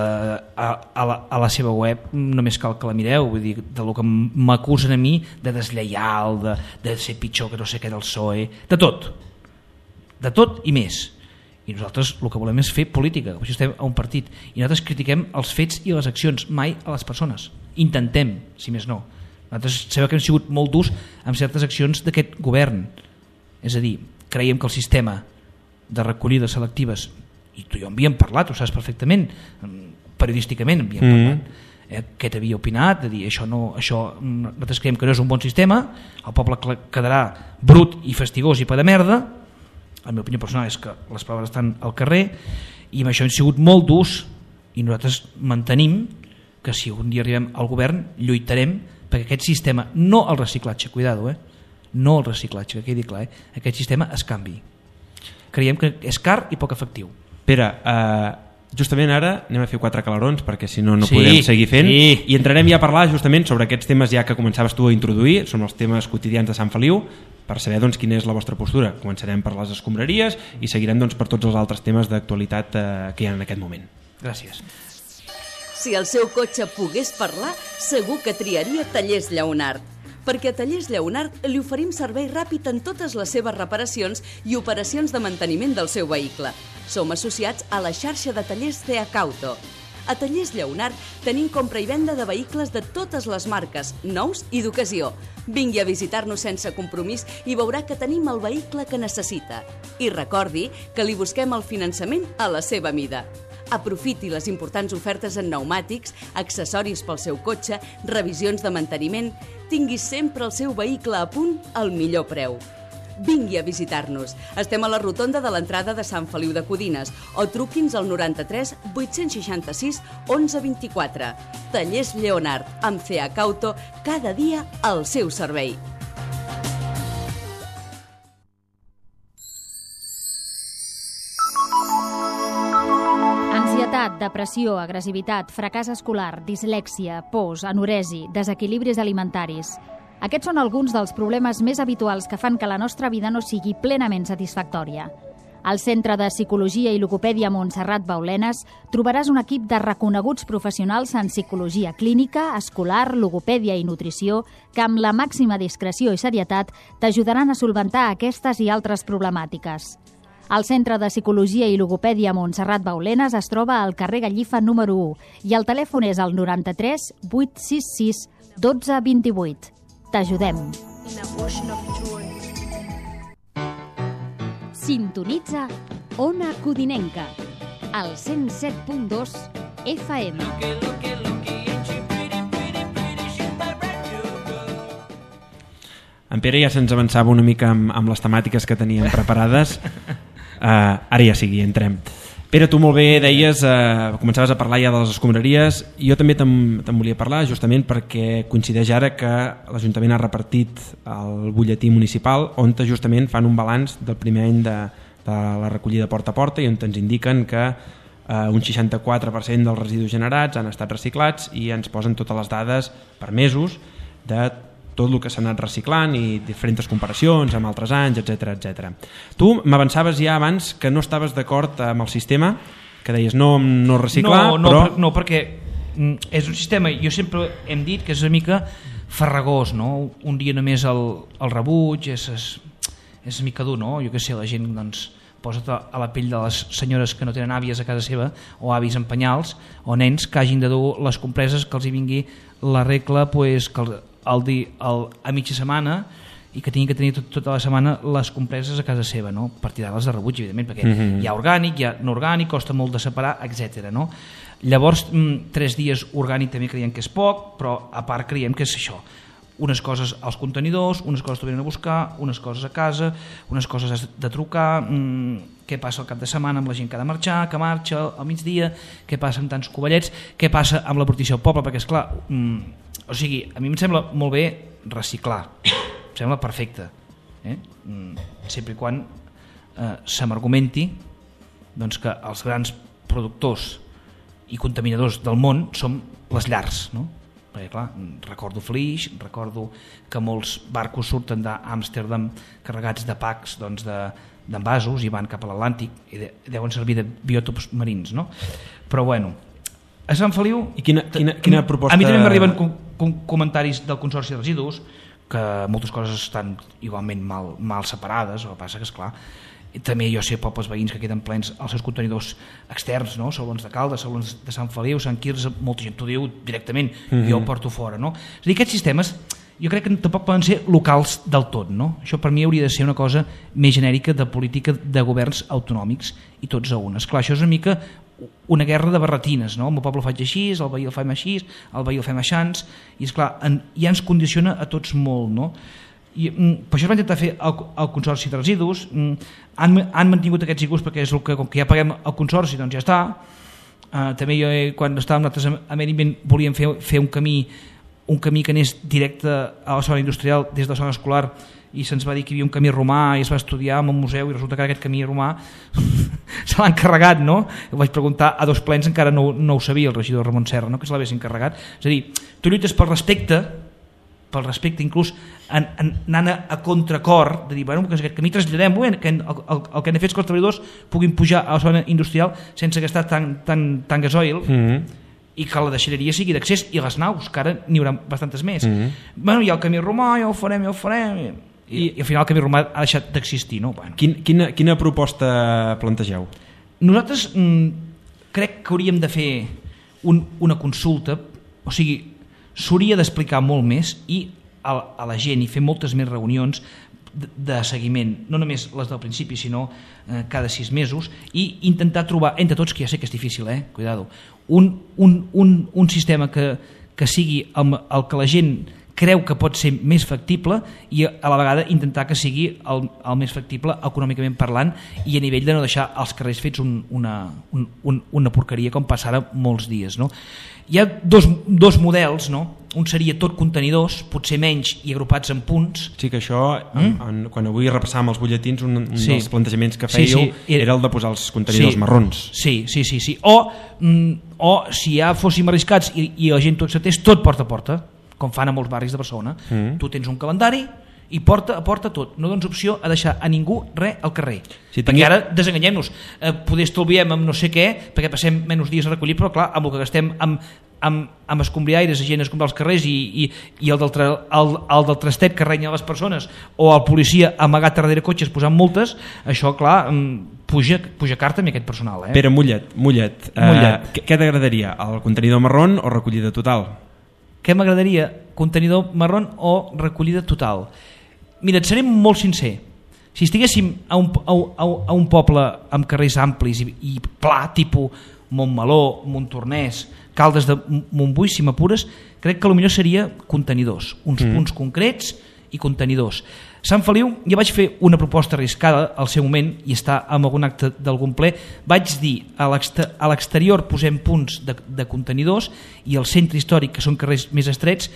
a, a, la, a la seva web només cal que la mireu, vull dir, de lo que m'acusen a mi, de deslleial, de, de ser pitjor que no sé què del P S O E, de tot, de tot i més. I nosaltres el que volem és fer política, per això estem a un partit, i nosaltres critiquem els fets i les accions, mai a les persones. Intentem, si més no. Nosaltres sabem que hem sigut molt durs amb certes accions d'aquest govern. És a dir, creiem que el sistema de recollida selectives, i tu i jo en havíem parlat, ho saps perfectament, periodísticament en havíem mm. parlat, eh, què t'havia opinat, de dir, això no, això, nosaltres creiem que no és un bon sistema, el poble quedarà brut i fastigós i pa de merda. La meva opinió personal és que les paraules estan al carrer i amb això hem sigut molt durs i nosaltres mantenim que si un dia arribem al govern lluitarem perquè aquest sistema, no el reciclatge, cuidado, eh? no el reciclatge, que quedi clar, eh? aquest sistema es canvi. Creiem que és car i poc efectiu. Pere, uh, justament ara anem a fer quatre calarons perquè si no no sí, podem seguir fent sí. i entrarem ja a parlar justament sobre aquests temes ja que començaves tu a introduir, són els temes quotidians de Sant Feliu, per saber doncs, quina és la vostra postura. Començarem per les escombraries i seguirem doncs, per tots els altres temes d'actualitat uh, que hi ha en aquest moment. Gràcies. Si el seu cotxe pogués parlar, segur que triaria Tallers Lleonart. Perquè a Tallers Lleonart li oferim servei ràpid en totes les seves reparacions i operacions de manteniment del seu vehicle. Som associats a la xarxa de tallers Ceacauto. A Tallers Lleonart tenim compra i venda de vehicles de totes les marques, nous i d'ocasió. Vingui a visitar-nos sense compromís i veurà que tenim el vehicle que necessita. I recordi que li busquem el finançament a la seva mida. Aprofiti les importants ofertes en pneumàtics, accessoris pel seu cotxe, revisions de manteniment. Tingui sempre el seu vehicle a punt al millor preu. Vingui a visitar-nos. Estem a la rotonda de l'entrada de Sant Feliu de Codines o truqui'ns al noranta-tres vuit-cents seixanta-sis onze vint-i-quatre. Tallers Lleonart, amb Ceacauto, cada dia al seu servei. Depressió, agressivitat, fracàs escolar, dislèxia, pors, anoresi, desequilibris alimentaris. Aquests són alguns dels problemes més habituals que fan que la nostra vida no sigui plenament satisfactòria. Al Centre de Psicologia i Logopèdia Montserrat Baulenes trobaràs un equip de reconeguts professionals en psicologia clínica, escolar, logopèdia i nutrició que amb la màxima discreció i serietat t'ajudaran a solventar aquestes i altres problemàtiques. El Centre de Psicologia i Logopèdia Montserrat Baulenes es troba al carrer Gallifa número u i el telèfon és el noranta-tres vuit sis sis dotze vint-i-vuit. T'ajudem. Sintonitza Ona Codinenca, al cent set punt dos F M. En Pere ja se'ns avançava una mica amb, amb les temàtiques que teníem preparades. Uh, ara ja sigui, entrem. Pere, tu molt bé deies, uh, començaves a parlar ja de les escombraries. Jo també te'n volia parlar justament perquè coincideix ara que l'Ajuntament ha repartit el butlletí municipal on justament fan un balanç del primer any de, de la recollida porta a porta i on ens indiquen que uh, un seixanta-quatre per cent dels residus generats han estat reciclats i ens posen totes les dades per mesos de tot el que s'ha anat reciclant i diferents comparacions amb altres anys, etcètera, etcètera. Tu m'avançaves ja abans que no estaves d'acord amb el sistema, que deies no, no reciclar, no, no, però... No, perquè és un sistema, jo sempre hem dit que és una mica farragós, no? Un dia només el, el rebuig, és, és, és mica dur, no? Jo què sé, la gent doncs, posa't a la pell de les senyores que no tenen àvies a casa seva o avis en penyals o nens que hagin de dur les compreses que els hi vingui la regla pues, que el, el, el, a mitja setmana i que tinguin que tenir tot, tota la setmana les compreses a casa seva, no? Per tirar-les de rebuig, evidentment, perquè mm-hmm. hi ha orgànic, hi ha no orgànic, costa molt de separar, etcètera. No? Llavors, mm, tres dies orgànic també creiem que és poc, però a part creiem que és això. Unes coses als contenidors, unes coses t'ho venen a buscar, unes coses a casa, unes coses has de trucar, mmm, què passa al cap de setmana amb la gent que ha de marxar, que marxa al migdia, què passa amb tants covellets, què passa amb la portició al poble, perquè esclar, mmm, o sigui, a mi em sembla molt bé reciclar, em sembla perfecte, eh? sempre i quan eh, se m'argumenti doncs, que els grans productors i contaminadors del món són les llars, no? Perquè clar, recordo Flix, recordo que molts barcos surten d'Amsterdam carregats de packs doncs, d'envasos i van cap a l'Atlàntic i de, deuen servir de biòtops marins, no? Però bueno, a Sant Feliu... I quina, quina, quina proposta... A mi també m'arriben com, com comentaris del Consorci de Residus que moltes coses estan igualment mal, mal separades, el que passa que esclar també jo sé pobles veïns que queden plens els seus contenidors externs, no? Salons de Caldes, salons de Sant Feliu, Sant Quirze, molta gent t'ho diu directament, mm-hmm. jo ho porto fora, no? És a dir, aquests sistemes jo crec que tampoc poden ser locals del tot, no? Això per mi hauria de ser una cosa més genèrica de política de governs autonòmics i tots a una. Esclar, això és una mica una guerra de barretines, no? El meu poble ho faig així, el veí el fem així, el veí el fem aixans, i esclar, en, ja ens condiciona a tots molt, no? I, mm, per això es va intentar fer el, el Consorci de Residus, mm, han, han mantingut aquests I Q S perquè és el que, com que ja paguem el Consorci, doncs ja està. Uh, també jo, eh, quan estàvem nosaltres a Meriment, volíem fer, fer un camí un camí que anés directe a la zona industrial des de la zona escolar i se'ns va dir que hi havia un camí romà i es va estudiar en un museu i resulta que aquest camí romà se l'ha encarregat, no? Ho vaig preguntar a dos plens, encara no, no ho sabia el regidor Ramon Serra, no? Que se l'hagués encarregat. És a dir, tu lluites pel respecte, pel respecte inclús en, en, anant a, a contracor, de dir, bueno, que aquest camí traslladem, bueno, que el, el, el que han fet que els treballadors puguin pujar a la zona industrial sense gastar tant, tant, tant gasoil, mm-hmm. i que la deixalleria sigui d'accés i les naus, que ara n'hi haurà bastantes més. Mm-hmm. Bueno, hi ha el camí romà, ja ho farem, ja ho farem... I, i al final el camí romà ha deixat d'existir, no? Bueno. Quin, quina, quina proposta plantegeu? Nosaltres mm, crec que hauríem de fer un, una consulta, o sigui, s'hauria d'explicar molt més i a, a la gent i fer moltes més reunions de, de seguiment, no només les del principi, sinó eh, cada sis mesos, i intentar trobar entre tots, que ja sé que és difícil, eh? Cuidado, un, un, un, un sistema que, que sigui el, el que la gent creu que pot ser més factible i a la vegada intentar que sigui el, el més factible econòmicament parlant i a nivell de no deixar els carrers fets un, una, un, un, una porqueria com passa ara molts dies, no? Hi ha dos, dos models, no? Un seria tot contenidors, potser menys i agrupats en punts. Sí, que això, mm? en, en, quan avui repassàvem els butlletins, un, un sí. dels plantejaments que fèieu sí, sí. era el de posar els contenidors sí. marrons. Sí, sí, sí. sí. O, mm, o si ja fóssim arriscats i, i la gent tot s'atés, tot porta a porta, com fan a molts barris de Barcelona. Mm. Tu tens un calendari i porta a porta tot. No dones opció a deixar a ningú res al carrer. Sí, perquè ara, desenganyem-nos, eh, poder estalviem amb no sé què, perquè passem menys dies a recollir, però clar, amb el que gastem amb, amb, amb escombriaires, gent a escombrar els carrers i, i, i el, del tra, el, el del trastet que renya les persones o el policia amagat darrere cotxes posant multes, això clar, puja, puja carta amb aquest personal. Eh? Pere Mollet, Mollet, Mollet. Eh, què t'agradaria? El contenidor marrón o recollida total? Què m'agradaria? Contenidor marrón o recollida total? Mira, et seré molt sincer. Si estiguéssim a un, a, a un poble amb carrers amplis i, i pla, tipus Montmeló, Montornès, Caldes de Montbui, si m'apures, crec que potser seria contenidors, uns mm. punts concrets i contenidors. Sant Feliu, ja vaig fer una proposta arriscada al seu moment i està en algun acte d'algun ple, vaig dir a l'exterior posem punts de, de contenidors i al centre històric, que són carrers més estrets,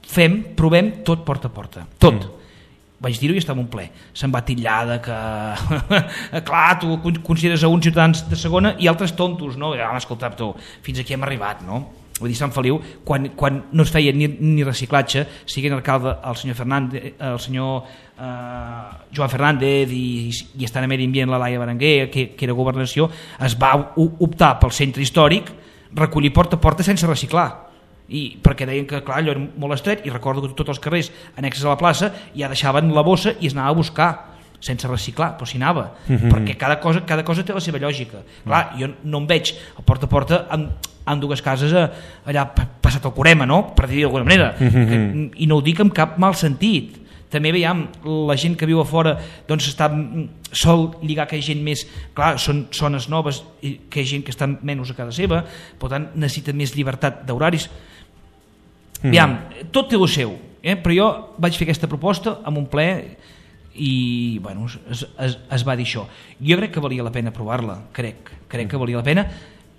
fem, provem tot porta a porta, tot. Mm. Vaig dir-ho i estava un ple. Se'n va titllada que clar, tu consideres a uns ciutadans de segona i altres tontos, no? Ja, escolta, tu, fins aquí hem arribat, no? Vull dir, Sant Feliu, quan, quan no es feia ni, ni reciclatge, siguent alcalde el senyor Fernández, el senyor eh, Joan Fernández i, i estant a medi ambient la Laia Berenguer, que, que era governació, es va optar pel centre històric, recollir porta a porta sense reciclar. I perquè deien que clar, allò era molt estret i recordo que tots els carrers annexes a la plaça ja deixaven la bossa i es anava a buscar. sense reciclar, però s'hi anava, mm-hmm. perquè cada cosa, cada cosa té la seva lògica. Clar, jo no em veig a porta a porta amb, amb dues cases allà passat el Corema, no? Per dir-ho d'alguna manera, mm-hmm. que, i no ho dic amb cap mal sentit. També veiem la gent que viu a fora, doncs està, sol lligar que hi ha gent més, clar, són zones noves, que hi ha gent que està menys a casa seva, per tant necessita més llibertat d'horaris. Mm. Aviam, tot té el seu, eh? Però jo vaig fer aquesta proposta amb un ple i bueno, es, es, es va dir això. Jo crec que valia la pena provar-la, crec, crec que valia la pena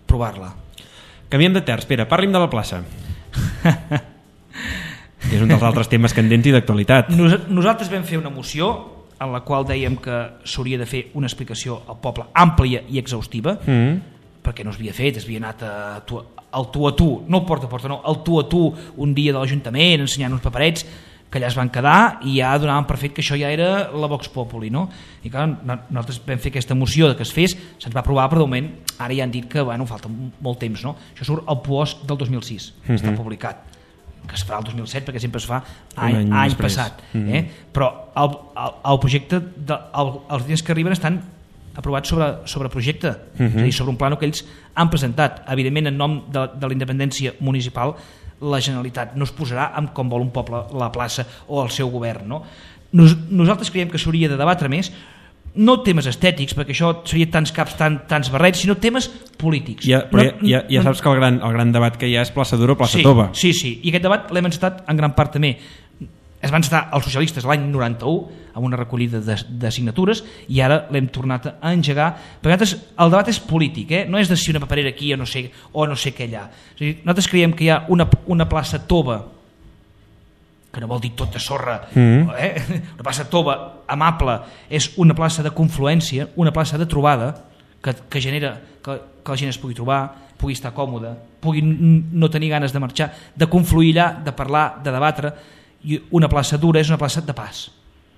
provar-la. Canviem de terç, Pere, parli'm de la plaça. És un dels altres temes candents i d'actualitat. Nos, nosaltres vam fer una moció en la qual dèiem que s'hauria de fer una explicació al poble àmplia i exhaustiva, mm. perquè no s'havia fet, s'havia anat a, tu, al tu a tu, no porta a porta, no, al tu a tu un dia de l'Ajuntament ensenyant uns paperets que allà es van quedar i ja donaven per fet que això ja era la Vox Populi, no? I clar, nosaltres vam fer aquesta moció de que es fes, se'ns va aprovar, però de moment ara ja han dit que bueno, falta molt temps, no? Això surt al PUOS del dos mil sis, mm-hmm. està publicat, que es farà el dos mil set perquè sempre es fa any, any, any passat, mm-hmm. eh? Però el, el, el projecte, de, el, els diners que arriben estan aprovats sobre, sobre projecte, mm-hmm. és a dir, sobre un plano que ells han presentat, evidentment en nom de, de la independència municipal. La Generalitat no es posarà amb com vol un poble la plaça o el seu govern, no? Nos, nosaltres creiem que s'hauria de debatre més, no temes estètics, perquè això seria tants caps, tan, tants barrets, sinó temes polítics. Ja, però no, ja, ja saps que el gran, el gran debat que hi ha és plaça Dura o plaça sí, Tova. Sí, sí, i aquest debat l'hem encetat en gran part també. Es van estar els socialistes l'any noranta-u amb una recollida de, de signatures i ara l'hem tornat a engegar, perquè el debat és polític, eh? No és de si una paperera aquí o no sé, o no sé què allà. És a dir, nosaltres creiem que hi ha una, una plaça Tova, que no vol dir tot de sorra, mm. eh? Una plaça Tova amable, és una plaça de confluència, una plaça de trobada que, que genera que, que la gent es pugui trobar, pugui estar còmoda, pugui no tenir ganes de marxar, de confluir allà, de parlar, de debatre. I una plaça Dura és una plaça de pas.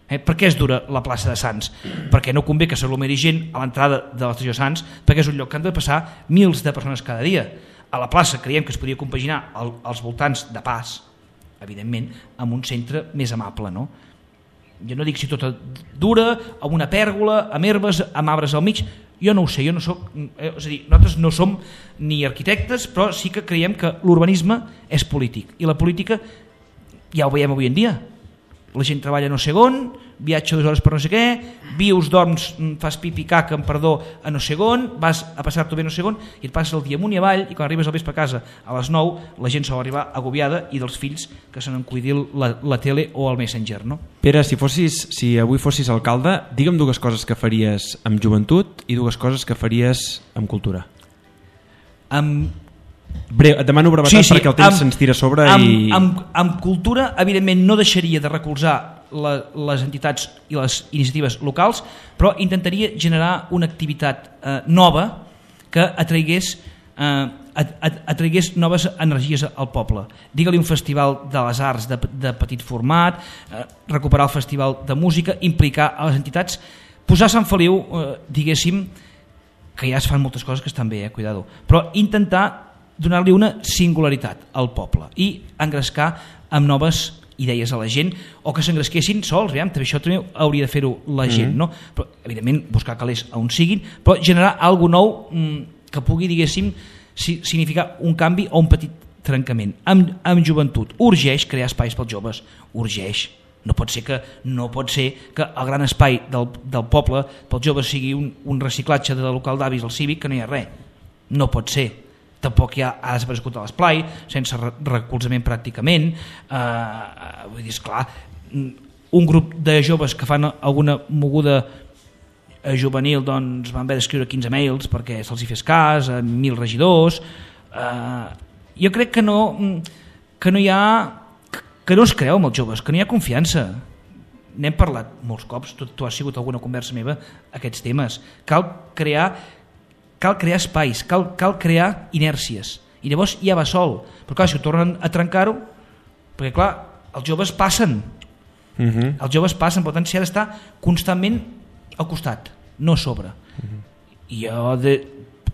Eh? Per què és dura la plaça de Sants? Perquè no convé que s'aglomeri gent a l'entrada de l'estació Sants, perquè és un lloc que han de passar mils de persones cada dia. A la plaça creiem que es podria compaginar el, als voltants de pas, evidentment, amb un centre més amable, no? Jo no dic si tota dura, amb una pèrgola, amb herbes, amb arbres al mig, jo no ho sé, jo no soc, eh, és a dir, nosaltres no som ni arquitectes, però sí que creiem que l'urbanisme és polític, i la política ja ho veiem avui en dia. La gent treballa no sé on, viatja dues hores per no sé què, vius, dorms, fas pipi caca, amb perdó, a no sé on, vas a passar-t'ho bé no sé on, i et passes el dia amunt i avall, i quan arribes al vespre a casa a les nou, la gent sol arribar agobiada i dels fills que se n'encuidi la, la tele o el Messenger, no? Pere, si, fossis, si avui fossis alcalde, digue'm dues coses que faries amb joventut i dues coses que faries amb cultura. Amb Breu, et demano brevetat sí, sí, perquè el temps se'ns tira a sobre amb, i... amb, amb cultura, evidentment, no deixaria de recolzar la, les entitats i les iniciatives locals, però intentaria generar una activitat eh, nova que atraigués, eh, atraigués noves energies al poble. Digue-li un festival de les arts de, de petit format, eh, recuperar el festival de música, implicar a les entitats, posar Sant Feliu, eh, diguéssim, que ja es fan moltes coses que estan bé, eh, cuidado, però intentar donar-li una singularitat al poble i engrescar amb noves idees a la gent, o que s'engresquessin sols, aviam, també això també hauria de fer-ho la gent, mm-hmm. no? Però, evidentment, buscar calés on siguin, però generar alguna nou mm, que pugui, diguéssim, si, significar un canvi o un petit trencament. Amb, amb joventut, urgeix crear espais pels joves, urgeix. No pot ser que, no pot ser que el gran espai del, del poble pels joves sigui un, un reciclatge de local d'avis al cívic que no hi ha res. No pot ser. Tampoc hi ha, ha desaparegut a l'esplai, sense recolzament pràcticament. Eh, vull dir, esclar, un grup de joves que fan alguna moguda juvenil, doncs van haver d'escriure quinze mails perquè se'ls hi fes cas, a mil regidors. Eh, jo crec que no, que no hi ha, que no es creu amb els joves, que no hi ha confiança. N'hem parlat molts cops, tu, tu has sigut alguna conversa meva, aquests temes. Cal crear cal crear espais, cal, cal crear inèrcies, i llavors ja va sol, però clar, si ho tornen a trencar-ho, perquè clar, els joves passen, uh-huh. els joves passen, per tant s'hi ha d'estar constantment al costat, no a sobre. Uh-huh. I jo de,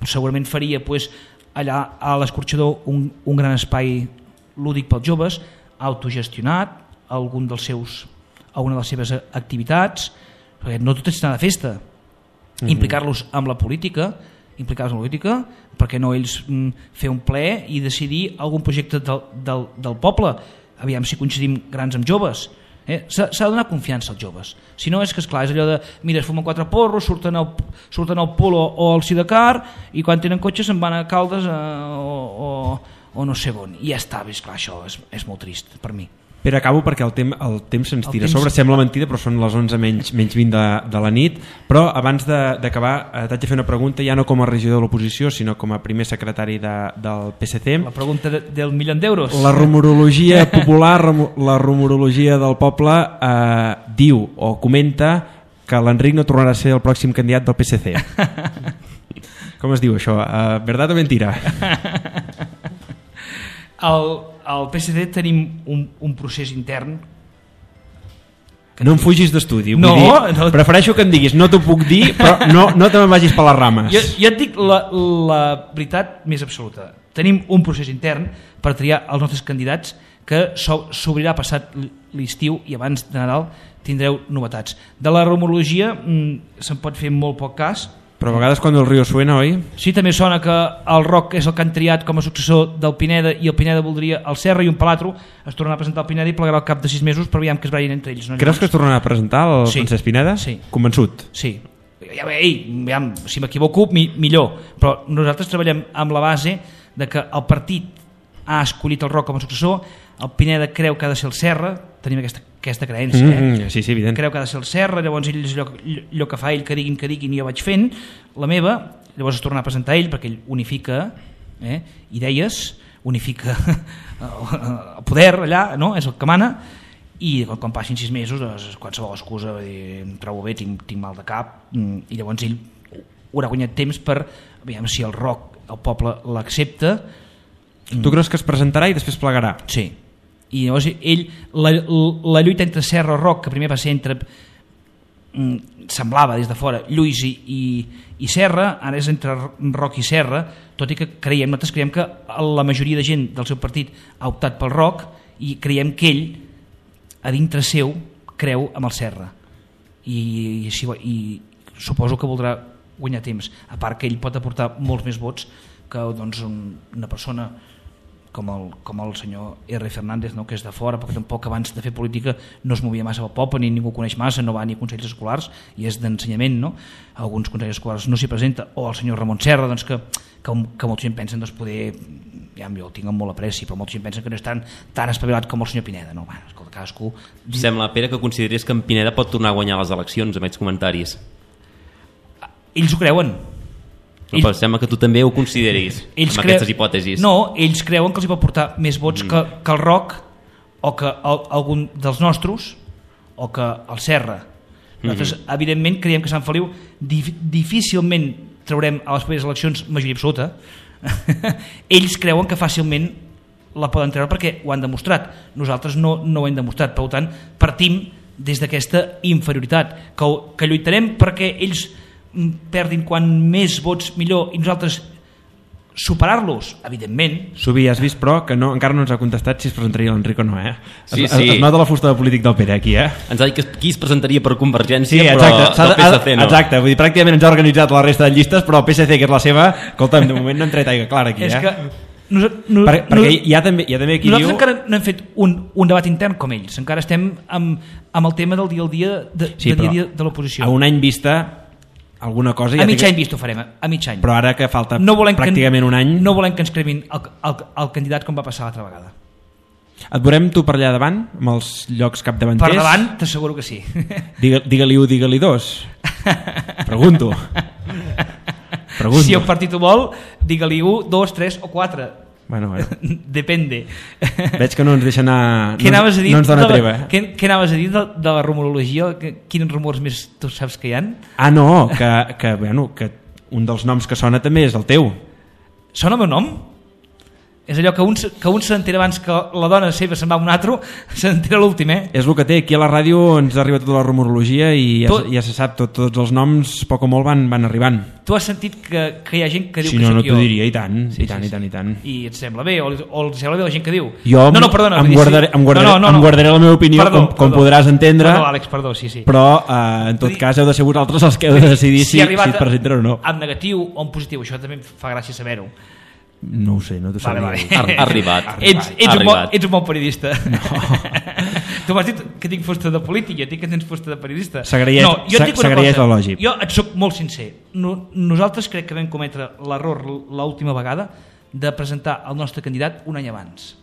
segurament faria pues, allà a l'Escorxador un, un gran espai lúdic pels joves, autogestionat, algun dels seus, alguna de les seves activitats, perquè no tot és anar de festa. Mm-hmm. Implicar-los amb la política, implicar-los en la política, perquè no ells mm, fer un ple i decidir algun projecte del, del, del poble. Aviam si coincidim grans amb joves. Eh? S'ha, s'ha de donar confiança als joves. Si no és que, esclar, és allò de mira, es fumen quatre porros, surten al, surten al Polo o al Sidecar i quan tenen cotxe se'n van a Caldes eh, o, o, o no sé on. I ja està, és clar, això és, és molt trist per mi. Però acabo perquè el, tem, el temps se'ns tira temps... sobre, sembla mentida, però són les onze menys, menys vint de, de la nit. Però abans d'acabar eh, t'haig de fer una pregunta, ja no com a regidor de l'oposició, sinó com a primer secretari de, del P S C. La pregunta de, del milió d'euros. La rumorologia popular, la rumorologia del poble eh, diu o comenta que l'Enric no tornarà a ser el pròxim candidat del P S C. Com es diu això? Uh, verdad o mentira? El, al P S D tenim un, un procés intern que no em fugis d'estudi, no, dir, no, prefereixo que em diguis no t'ho puc dir, però no, no te me'n vagis per les rames. Jo, jo et dic la, la veritat més absoluta. Tenim un procés intern per triar els nostres candidats que s'obrirà passat l'estiu i abans de Nadal tindreu novetats. De la rumorologia mmm, se'n pot fer molt poc cas. Però a vegades quan el riu suena, oi? Sí, també sona que el Roc és el que han triat com a successor del Pineda i el Pineda voldria el Serra i un Palatro es tornarà a presentar el Pineda i plegarà al cap de sis mesos per veure que es barallin entre ells. No? Creus que es tornarà a presentar el sí. Francesc Pineda? Sí. Convençut? Sí. Ja, ei, ja, si m'equivoco, mi, millor. Però nosaltres treballem amb la base de que el partit ha escollit el Roc com a successor, el Pineda creu que ha de ser el Serra, tenim aquesta, aquesta creença, eh? Mm, sí, sí, evident. Creu que ha de ser el Serra, llavors ell és allò, allò que fa ell, que diguin, que diguin, i jo vaig fent, la meva, llavors es torna a presentar ell, perquè ell unifica eh, idees, unifica el poder allà, no? És el que mana, i quan, quan passin sis mesos, doncs, qualsevol excusa, dir, em trobo bé, tinc, tinc mal de cap, i llavors ell haurà guanyat temps per, veiem si el Roc, el poble l'accepta. Tu creus que es presentarà i després plegarà? Sí. I llavors ell, la, la lluita entre Serra i Roc, que primer va ser entre, mm, semblava des de fora, Lluís i, i, i Serra, ara és entre Roc i Serra, tot i que creiem, nosaltres creiem que la majoria de gent del seu partit ha optat pel Roc i creiem que ell, a dintre seu, creu amb el Serra. I, i, i suposo que voldrà guanyar temps, a part que ell pot aportar molts més vots que doncs, una persona com el, com el senyor R. Fernández, no? Que és de fora, perquè tampoc abans de fer política no es movia massa al poble, ni ningú coneix massa, no va ni a consells escolars, i és d'ensenyament, no? Alguns consells escolars no s'hi presenta, o el senyor Ramon Serra, doncs, que, que, que molta gent pensa doncs, poder, ja jo el tinc amb molt apreci, però molta gent pensa que no és tan, tan espavilat com el senyor Pineda, no? Bueno, escolta, cadascú... Sembla, Pere, que consideris que en Pineda pot tornar a guanyar les eleccions, amb aquests comentaris. Ells ho creuen. No, però sembla que tu també ho consideris ells amb cre... aquestes hipòtesis. No, ells creuen que els hi pot portar més vots mm. que, que el Roc o que el, algun dels nostres o que el Serra. Nosaltres, mm-hmm. evidentment, creiem que Sant Feliu dif difícilment traurem a les properes eleccions majoria absoluta. Ells creuen que fàcilment la poden treure perquè ho han demostrat. Nosaltres no, no ho hem demostrat. Per tant, partim des d'aquesta inferioritat, que, que lluitarem perquè ells perdin quan més vots millor i nosaltres superar-los, evidentment. Subi, has vist, però, que no, encara no ens ha contestat si es presentaria l'Enric o no, eh? Sí, es, sí. Es nota la fusta de polític del Pere aquí, eh? Ens ha dit que qui es presentaria per Convergència, sí, però del P S C no. Exacte, vull dir, pràcticament ens ha organitzat la resta de llistes, però el P S C, que és la seva, escolta'm, de moment no hem tret aigua clara aquí, és eh? Que no, no, per, perquè no, hi ha també, hi ha també qui nosaltres diu... encara no hem fet un, un debat intern com ells, encara estem amb, amb el tema del dia al dia de, sí, de, dia, dia de l'oposició. A un any vista alguna cosa... A ja mig que... any vist ho farem, a mig any. Però ara que falta no pràcticament que, un any... No volem que ens cremin el, el, el candidat com va passar l'altra vegada. Et veurem tu per allà davant, amb els llocs capdavanters? Per davant, t'asseguro que sí. Digue-li u, digue-li dos. Pregunto. Pregunto. Si el partit ho vol, digue-li u, dos, tres o quatre. Bueno, bueno. Depende. Veig que no ens deixa anar... Què anaves a dir? No ens dona de la, treva. Què, què anaves a dir de, de la rumorologia? Quins rumors més tu saps que hi ha? Ah, no, que, que, bueno, que un dels noms que sona també és el teu. Sona el meu nom? És allò que un, que un s'entera abans que la dona seva se'n va a un altre, s'entera l'últim, eh? És el que té, aquí a la ràdio ens arriba tota la rumorologia i ja, tu, ja se sap, tot, tots els noms poc o molt van, van arribant. Tu has sentit que, que hi ha gent que diu si que no, sóc no jo? t'ho diria, i tant, sí, i tant, sí, i tant, i tant. I et sembla bé, o, o els sembla bé la gent que diu? Jo no, no, perdona, em, guardaré, em, guardaré, no, no, no. em guardaré la meva opinió, perdó, com, com perdó. podràs entendre, Perdó, Àlex, perdó, sí, sí. però eh, en tot cas heu de ser vosaltres els que heu de decidir si, si, si et presenten o no. En negatiu o en positiu, això també em fa gràcia saber-ho. No ho sé, no t'ho sabia. Vale, vale. Ha arribat. Ets, ets, ha un arribat. bon, ets un bon periodista. No. Tu m'has dit que tinc fusta de polític, jo tinc que tens fusta de periodista. S'agraeix no, el lògic. Jo et soc molt sincer. No, nosaltres crec que vam cometre l'error l'última vegada de presentar el nostre candidat un any abans.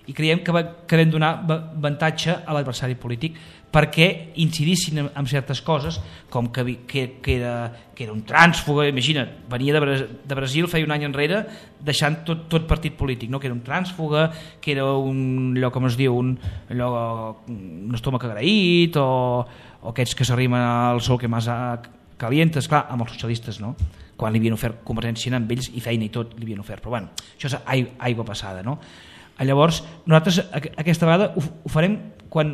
I creiem que, va, que vam donar avantatge a l'adversari polític perquè incidissin en, en certes coses, com que, que, que, era, que era un trànsfuga, imagina't, venia de, Bra de Brasil feia un any enrere deixant tot, tot partit polític, no? Que era un trànsfuga, que era un, allò com es diu, un, allò, un estómac agraït, o, o aquests que s'arrimen al sol que més calientes, clar, amb els socialistes, no? Quan li havien ofert Convergència amb ells i feina i tot li havien ofert, però bueno, això és aigua passada, no? Llavors, nosaltres aquesta vegada ho, ho farem quan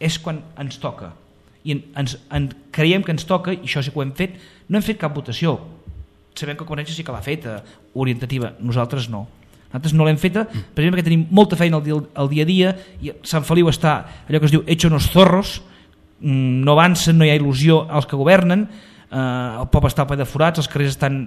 és quan ens toca i ens, en, creiem que ens toca, i això sí que ho hem fet. No hem fet cap votació, sabem que Convergència sí que l'ha feta, orientativa, nosaltres no. Nosaltres no l'hem feta, per exemple, perquè tenim molta feina al dia, al dia a dia, i Sant Feliu està, allò que es diu, hecho unos zorros, no avancen, no hi ha il·lusió als que governen, Uh, el poble està ple de forats, els carrers estan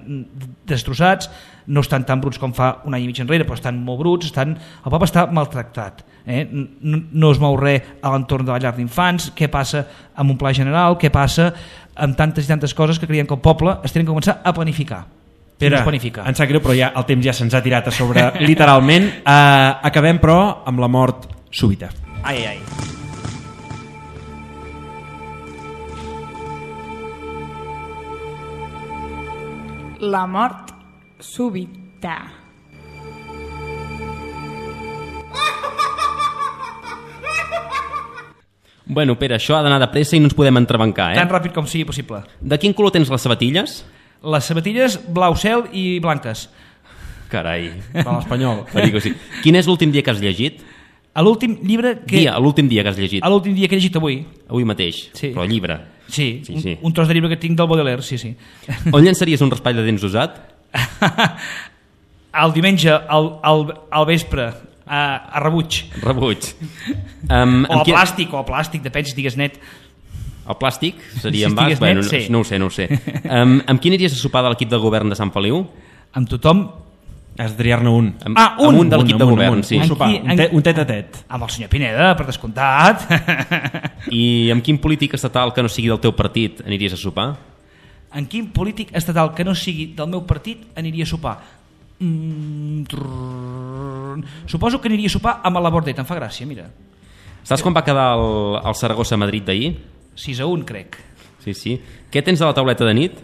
destrossats, no estan tan bruts com fa un any i mig enrere, però estan molt bruts, estan... el poble està maltractat, eh? no, no es mou res a l'entorn de la llar d'infants. Què passa amb un pla general, què passa amb tantes i tantes coses que creiem que el poble es tenen que començar a planificar. Pere, em sap greu, però ja el temps ja se'ns ha tirat a sobre literalment. Uh, acabem però amb la mort súbita. Ai, ai. La mort súbita. Bueno, Pere, això ha d'anar de pressa i no ens podem entrebancar, eh? Tan ràpid com sigui possible. De quin color tens les sabatilles? Les sabatilles blau cel i blanques. Carai. De l'Espanyol. Sí. Quin és l'últim dia que has llegit? A l'últim llibre que... Dia, l'últim dia que has llegit. A l'últim dia que he llegit avui. Avui mateix, sí. Però llibre. Sí, sí, sí. Un, un tros de llibre que tinc del Baudelaire, sí, sí. On llançaries un raspall de dents usat? El diumenge, al, al, al vespre, a, a rebuig. Rebuig. Um, o a plàstic, qui... o a plàstic, depèn si digues net. El plàstic seria si en bas? Bueno, net, sí. No ho sé, no ho sé. Um, amb qui aniries a sopar de l'equip de govern de Sant Feliu? Amb tothom. Has de triar-ne un. Amb, ah, un! Amb un de l'equip de govern, un, sí. Un sopar, un, te, un tet a tet. Amb el senyor Pineda, per descomptat. I amb quin polític estatal que no sigui del teu partit aniries a sopar? En quin polític estatal que no sigui del meu partit aniria a sopar? Mm, Suposo que aniria a sopar amb la Bordet, em fa gràcia, mira. Saps quan va quedar el, el Saragossa-Madrid d'ahir? sis a un, crec. Sí, sí. Què tens a la tauleta de nit?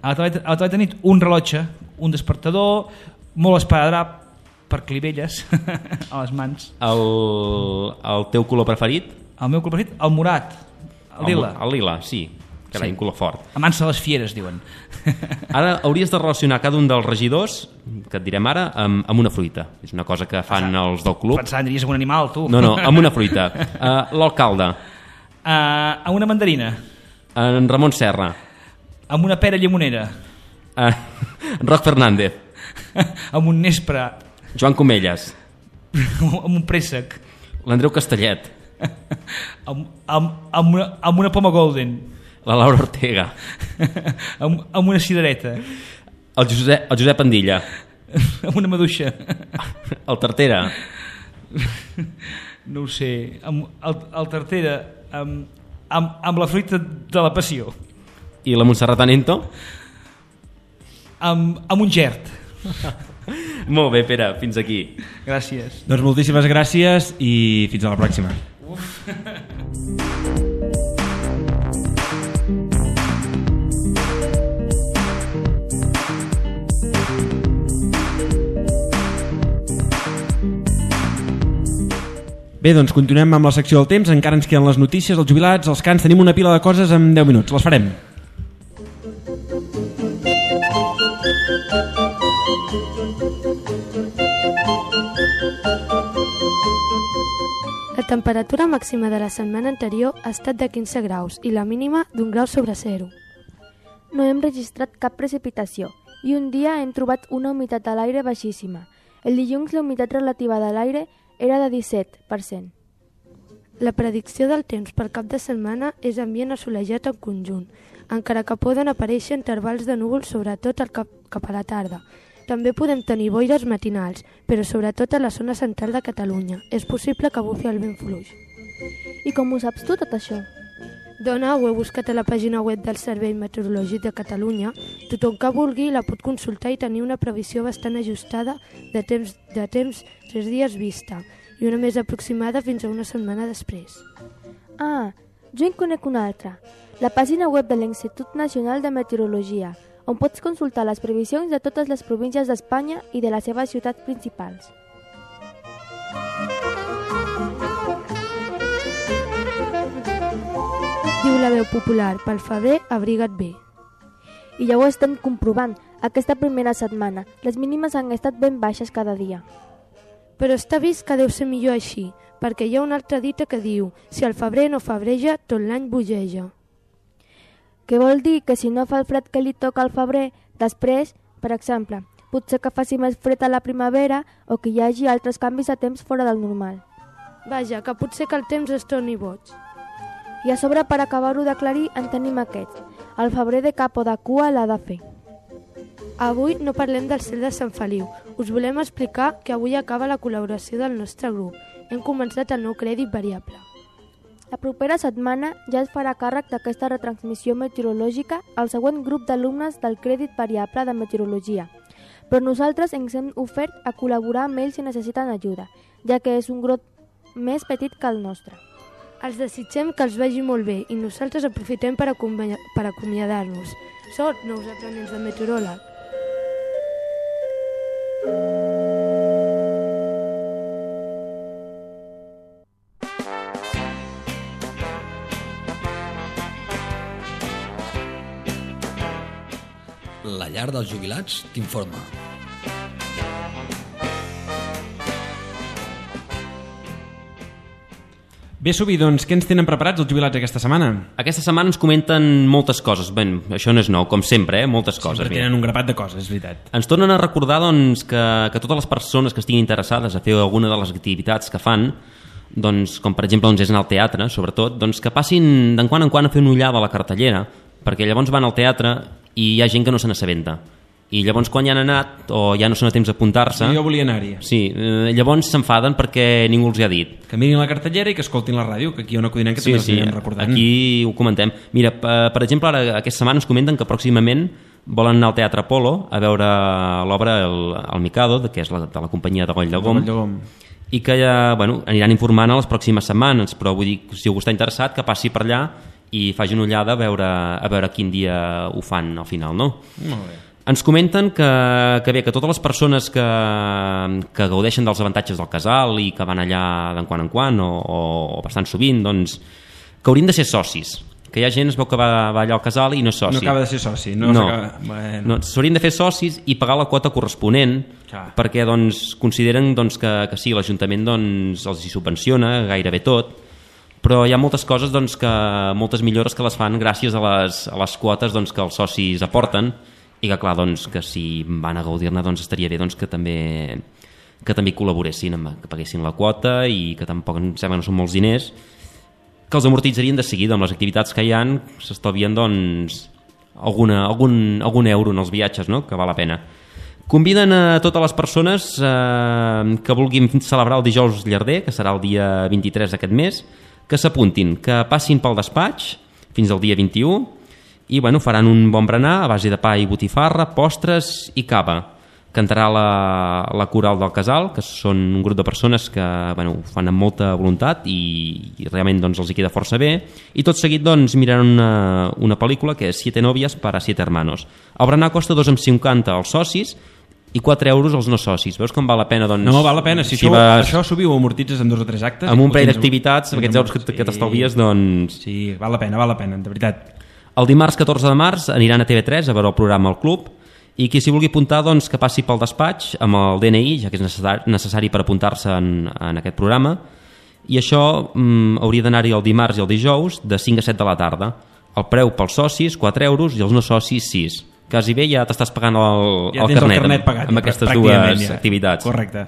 A la tauleta, a la tauleta de nit un rellotge, un despertador, molt esparadrap per clivelles a les mans. El, el teu color preferit? El meu color preferit? El morat, el lila. El, el lila, sí. Carai, sí. Un color fort. Amansa les fieres, diuen. Ara hauries de relacionar cada un dels regidors, que et direm ara, amb, amb una fruita. És una cosa que fan Pensant, els del club. Pensant, diries amb un animal, tu. No, no, amb una fruita. Uh, L'alcalde. Uh, amb una mandarina. En Ramon Serra. Amb una pera llimonera. Uh, Roc Fernández. Amb un nespre. Joan Comelles. Amb un préssec. L'Andreu Castellet. amb, amb, amb, una, amb una poma golden. La Laura Ortega. amb, amb una cidereta. El Josep, el Josep Andilla. Amb una maduixa. El Tartera. No ho sé. Amb, el, el Tartera amb, amb, amb la fruita de la passió. I la Montserrat Anento? Amb, amb un gert. Molt bé, Pere, fins aquí. Gràcies. Doncs moltíssimes gràcies i fins a la pròxima. Uf. Bé, doncs continuem amb la secció del temps. Encara ens queden les notícies, els jubilats, els cants. Tenim una pila de coses en deu minuts. Les farem. temperatura màxima de la setmana anterior ha estat de quinze graus i la mínima d'un grau sobre zero. No hem registrat cap precipitació i un dia hem trobat una humitat a l'aire baixíssima. El dilluns la humitat relativa de l'aire era de disset per cent. La predicció del temps pel cap de setmana és ambient assolellat en conjunt, encara que poden aparèixer intervals de núvols sobretot al cap, cap a la tarda. També podem tenir boires matinals, però sobretot a la zona central de Catalunya. És possible que bufi el vent fluix. I com ho saps tu, tot això? Dona, ho he buscat a la pàgina web del Servei Meteorològic de Catalunya. Tothom que vulgui la pot consultar i tenir una previsió bastant ajustada de temps, de temps tres dies vista i una més aproximada fins a una setmana després. Ah, jo en conec una altra. La pàgina web de l'Institut Nacional de Meteorologia, on pots consultar les previsions de totes les províncies d'Espanya i de les seves ciutats principals. Diu la veu popular, pel febrer abriga't bé. I ja ho estem comprovant, aquesta primera setmana. Les mínimes han estat ben baixes cada dia. Però està vist que deu ser millor així, perquè hi ha una altra dita que diu si el febrer no febreja, tot l'any bogeja. Què vol dir? Que si no fa el fred que li toca al febrer, després, per exemple, potser que faci més fred a la primavera o que hi hagi altres canvis de temps fora del normal. Vaja, que potser que el temps es torni boig. I a sobre, per acabar-ho d'aclarir, en tenim aquest. El febrer de cap o de cua l'ha de fer. Avui no parlem del cel de Sant Feliu. Us volem explicar que avui acaba la col·laboració del nostre grup. Hem començat el nou crèdit variable. La propera setmana ja es farà càrrec d'aquesta retransmissió meteorològica al següent grup d'alumnes del crèdit variable de meteorologia. Però nosaltres ens hem ofert a col·laborar amb ells si necessiten ajuda, ja que és un grup més petit que el nostre. Els desitgem que els vagi molt bé i nosaltres aprofitem per, acompanya- per acomiadar-nos. Sort, nous aprenents de meteoròleg. La llar dels jubilats t'informa. Bé, Subi, doncs què ens tenen preparats els jubilats aquesta setmana? Aquesta setmana ens comenten moltes coses. Bé, això no és nou, com sempre, eh? moltes coses. Sempre tenen un grapat de coses, és veritat. Ens tornen a recordar doncs, que, que totes les persones que estiguin interessades a fer alguna de les activitats que fan, doncs, com per exemple doncs, és anar al teatre, sobretot, doncs, que passin d'en quan en quan a fer una ullada a la cartellera, perquè llavors van al teatre i hi ha gent que no se n'assabenta. I llavors quan ja han anat o ja no són a temps d'apuntar-se... Jo volia anar-hi. Sí, eh, llavors s'enfaden perquè ningú els hi ha dit. Que mirin la cartellera i que escoltin la ràdio, que aquí hi ha una codinenca que sí, també sí, els recordant. aquí ho comentem. Mira, per exemple, ara aquesta setmana ens comenten que pròximament volen anar al Teatre Apolo a veure l'obra El, el Mikado, que és la, de la companyia de Goll de Gom, de Gom. i que ja, bueno, aniran informant a les pròximes setmanes, però vull dir, si algú està interessat, que passi per allà i faci una ullada a veure, a veure quin dia ho fan al final, no? Molt bé. Ens comenten que, que bé, que totes les persones que, que gaudeixen dels avantatges del casal i que van allà d'en quan en quan o, o, o bastant sovint, doncs, que haurien de ser socis. Que hi ha gent es veu que va, va allà al casal i no és soci. No acaba de ser soci. No, no, bueno. no s'haurien de fer socis i pagar la quota corresponent. Clar. Perquè doncs, consideren doncs, que, que sí, l'Ajuntament doncs, els hi subvenciona gairebé tot, però hi ha moltes coses, doncs, que, moltes millores que les fan gràcies a les, a les quotes doncs, que els socis aporten, i que clar, doncs, que si van a gaudir-ne doncs estaria bé doncs, que també que també col·laboressin, que paguessin la quota i que tampoc em sembla que no són molts diners, que els amortitzarien de seguida amb les activitats que hi ha, s'estalvien doncs alguna, algun, algun euro en els viatges, no? Que val la pena. Conviden a totes les persones eh, que vulguin celebrar el dijous llarder, que serà el dia vint-i-tres d'aquest mes, que s'apuntin, que passin pel despatx fins al dia vint-i-u i bueno, faran un bon berenar a base de pa i botifarra, postres i cava. Cantarà la, la coral del casal, que són un grup de persones que bueno, ho fan amb molta voluntat i, i realment doncs, els hi queda força bé, i tot seguit doncs, miraran una, una pel·lícula que és Siete novias para siete hermanos. El berenar costa dos amb cinquanta als socis i quatre euros als no socis. Veus com val la pena? Doncs, no, val la pena. Si, si això, vas... això subiu amortitzes en dos o tres actes... Amb un parell d'activitats, amb aquests euros que, que t'estalvies, doncs... Sí, val la pena, val la pena, de veritat. El dimarts catorze de març aniran a T V tres a veure el programa al Club i qui s'hi vulgui apuntar doncs, que passi pel despatx amb el D N I, ja que és necessari, necessari per apuntar-se en, en aquest programa, i això mm, hauria d'anar-hi el dimarts i el dijous de cinc a set de la tarda. El preu pels socis, quatre euros, i els no socis, sis. Quasi bé ja t'estàs pagant el, ja el, tens carnet, el carnet pagat, amb, amb ja, aquestes dues ja. activitats. Correcte.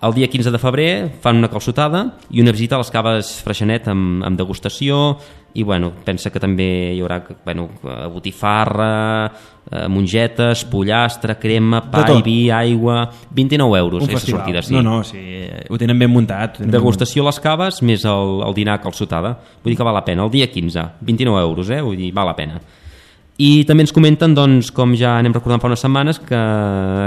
El dia quinze de febrer fan una calçotada i una visita a les caves Freixenet amb, amb degustació, i bueno, pensa que també hi haurà bueno, botifarra, eh, mongetes, pollastre, crema, pa i vi, aigua... vint-i-nou euros un aquesta sortida. Sí. No, no, sí, ho tenen ben muntat. Tenen Degustació a les caves més el, el dinar calçotada. Vull dir que val la pena. El dia quinze, vint-i-nou euros, eh? Vull dir, val la pena. I també ens comenten, doncs, com ja anem recordant fa unes setmanes, que,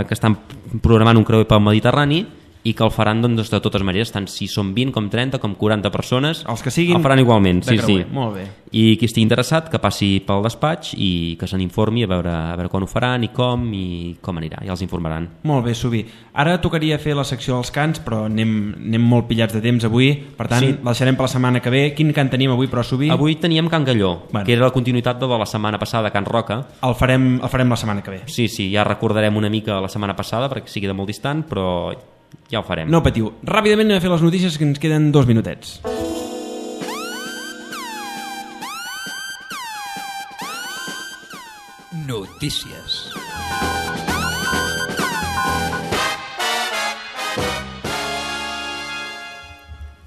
que estan programant un creuer pel Mediterrani i que el faran doncs, de totes maneres, tant si són vint com trenta com quaranta persones, els que siguin el faran igualment. Sí, sí. Molt bé. I qui estigui interessat que passi pel despatx i que se n'informi a veure, a veure quan ho faran i com i com anirà, ja els informaran. Molt bé, Subi. Ara tocaria fer la secció dels cants, però anem, anem molt pillats de temps avui, per tant sí. la deixarem per la setmana que ve. Quin cant tenim avui, però, Subi? Avui teníem Can Galló, bueno. que era la continuïtat de la setmana passada, Can Roca. El farem, el farem la setmana que ve. Sí, sí, ja recordarem una mica la setmana passada perquè sigui de molt distant, però ja ho farem. No patiu. Ràpidament anem a fer les notícies, que ens queden dos minutets. Notícies.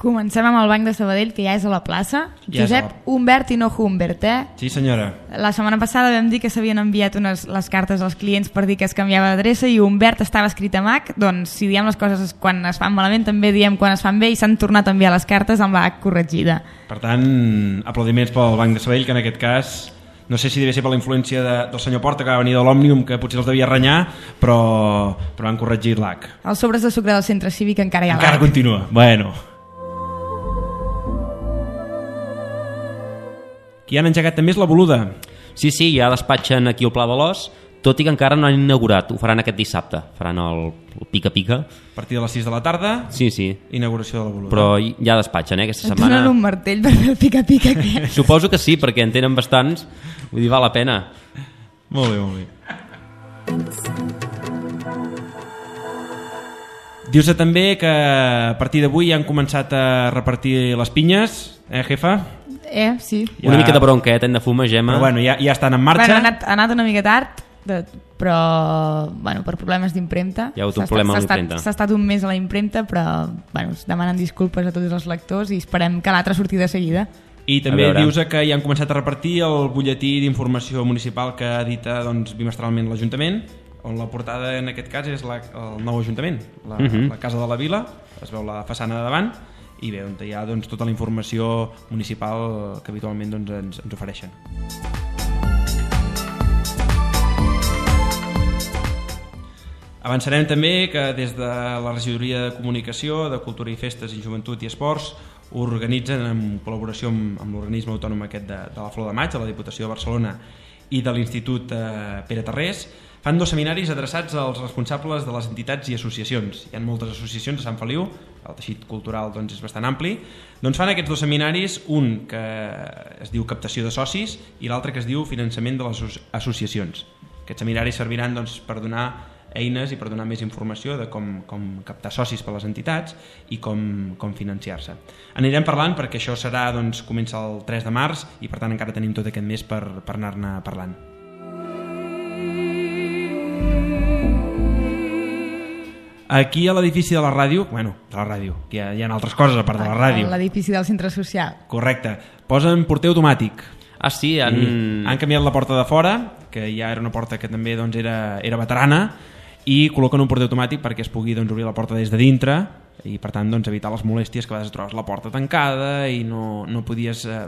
Comencem amb el Banc de Sabadell, que ja és a la plaça. Ja Josep la... Humbert i no Humbert, eh? Sí, senyora. La setmana passada vam dir que s'havien enviat unes, les cartes als clients per dir que es canviava d'adreça i Humbert estava escrit a Mac. Doncs si diem les coses quan es fan malament, també diem quan es fan bé, i s'han tornat a enviar les cartes amb la H corregida. Per tant, aplaudiments pel Banc de Sabadell, que en aquest cas... No sé si devia ser per la influència de, del senyor Porta, que va venir de l'Òmnium, que potser els devia renyar, però, però han corregit l'H. Els sobres de sucre del centre cívic encara hi ha l'H. Encara continua. Bueno. Qui han engegat també és la Boluda. Sí, sí, ja despatxen aquí al Pla de l'Os, tot i que encara no han inaugurat. Ho faran aquest dissabte. Faran el, el pica-pica. A partir de les sis de la tarda, sí, sí. Inauguració de la Boluda. Però ja despatxen, eh, aquesta Et setmana. donen un martell per fer el pica-pica aquest. Suposo que sí, perquè en tenen bastants. Vull dir, val la pena. Molt bé, molt bé. Dius-se també que a partir d'avui han començat a repartir les pinyes, eh, jefa? Eh, sí. Ja... Una mica de bronca, eh, hem de fumar, Gemma. Però bueno, ja, ja estan en marxa. Bueno, ha anat, ha anat una mica tard, de, però bueno, per problemes d'impremta. Hi ha hagut un problema amb l'impremta. S'ha estat un mes a la impremta, però bueno, es demanen disculpes a tots els lectors i esperem que l'altre surti de seguida. I també dius que ja han començat a repartir el butlletí d'informació municipal que edita doncs, bimestralment l'Ajuntament, on la portada en aquest cas és la, el nou Ajuntament, la, uh -huh. la Casa de la Vila, es veu la façana de davant, i bé, on hi ha doncs, tota la informació municipal que habitualment doncs, ens, ens ofereixen. Avançarem també que des de la Regidoria de Comunicació, de Cultura i Festes i Joventut i Esports organitzen en col·laboració amb, amb l'organisme autònom aquest de, de la Flor de Maig, de la Diputació de Barcelona i de l'Institut eh, Pere Tarrés, fan dos seminaris adreçats als responsables de les entitats i associacions. Hi ha moltes associacions a Sant Feliu, el teixit cultural doncs, és bastant ampli. Doncs fan aquests dos seminaris, un que es diu captació de socis i l'altre que es diu finançament de les associacions. Aquests seminaris serviran doncs, per donar eines i per donar més informació de com, com captar socis per les entitats i com, com financiar-se. Anirem parlant perquè això serà, doncs, comença el tres de març i per tant encara tenim tot aquest mes per, per anar-ne parlant. Aquí a l'edifici de la ràdio, bueno, de la ràdio, hi ha, hi ha altres coses a part de la ràdio. L'edifici del centre social. Correcte. Posen porter automàtic. Ah, sí? Han... han canviat la porta de fora, que ja era una porta que també doncs, era, era veterana, i col·loquen un porter automàtic perquè es pugui doncs, obrir la porta des de dintre i per tant doncs, evitar les molèsties que a vegades trobes la porta tancada i no, no podies eh,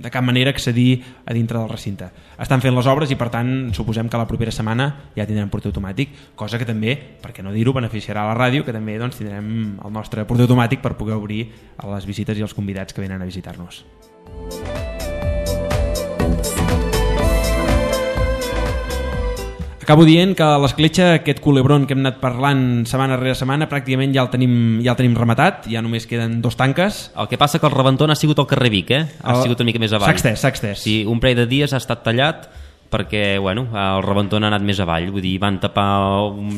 de cap manera accedir a dintre del recinte. Estan fent les obres i per tant suposem que la propera setmana ja tindrem porter automàtic, cosa que també, perquè no dir-ho, beneficiarà a la ràdio, que també doncs, tindrem el nostre porter automàtic per poder obrir a les visites i els convidats que venen a visitar-nos. Acabo dient que a l'Escletxa, aquest culebron que hem anat parlant setmana rere setmana, pràcticament ja el tenim, ja el tenim rematat, ja només queden dos tanques. El que passa que el rebentó ha sigut al carrer Vic, eh? Ha el... sigut una mica més avall. S'ha extès, s'ha extès. Sí, un parell de dies ha estat tallat, perquè bueno, el rebentó ha anat més avall, vull dir, van tapar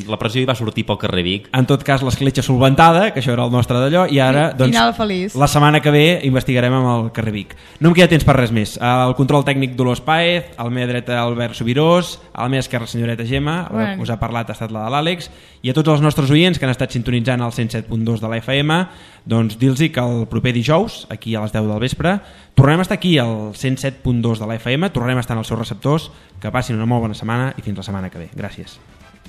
la pressió i va sortir pel carrer Vic. En tot cas, l'escletxa solventada, que això era el nostre d'allò, i ara, doncs, final feliç. La setmana que ve investigarem amb el carrer Vic. No em queda temps per res més. El control tècnic Dolors Páez, a la meva dreta Albert Subirós, a la meva esquerra senyoreta Gemma, bueno. Us ha parlat ha estat la de l'Àlex, i a tots els nostres oients que han estat sintonitzant el cent set punt dos de la F M, doncs dir-los que el proper dijous, aquí a les deu del vespre, tornarem a estar aquí al cent set punt dos de la F M, tornarem a estar en els seus receptors. Que passin una molt bona setmana i fins la setmana que ve. Gràcies.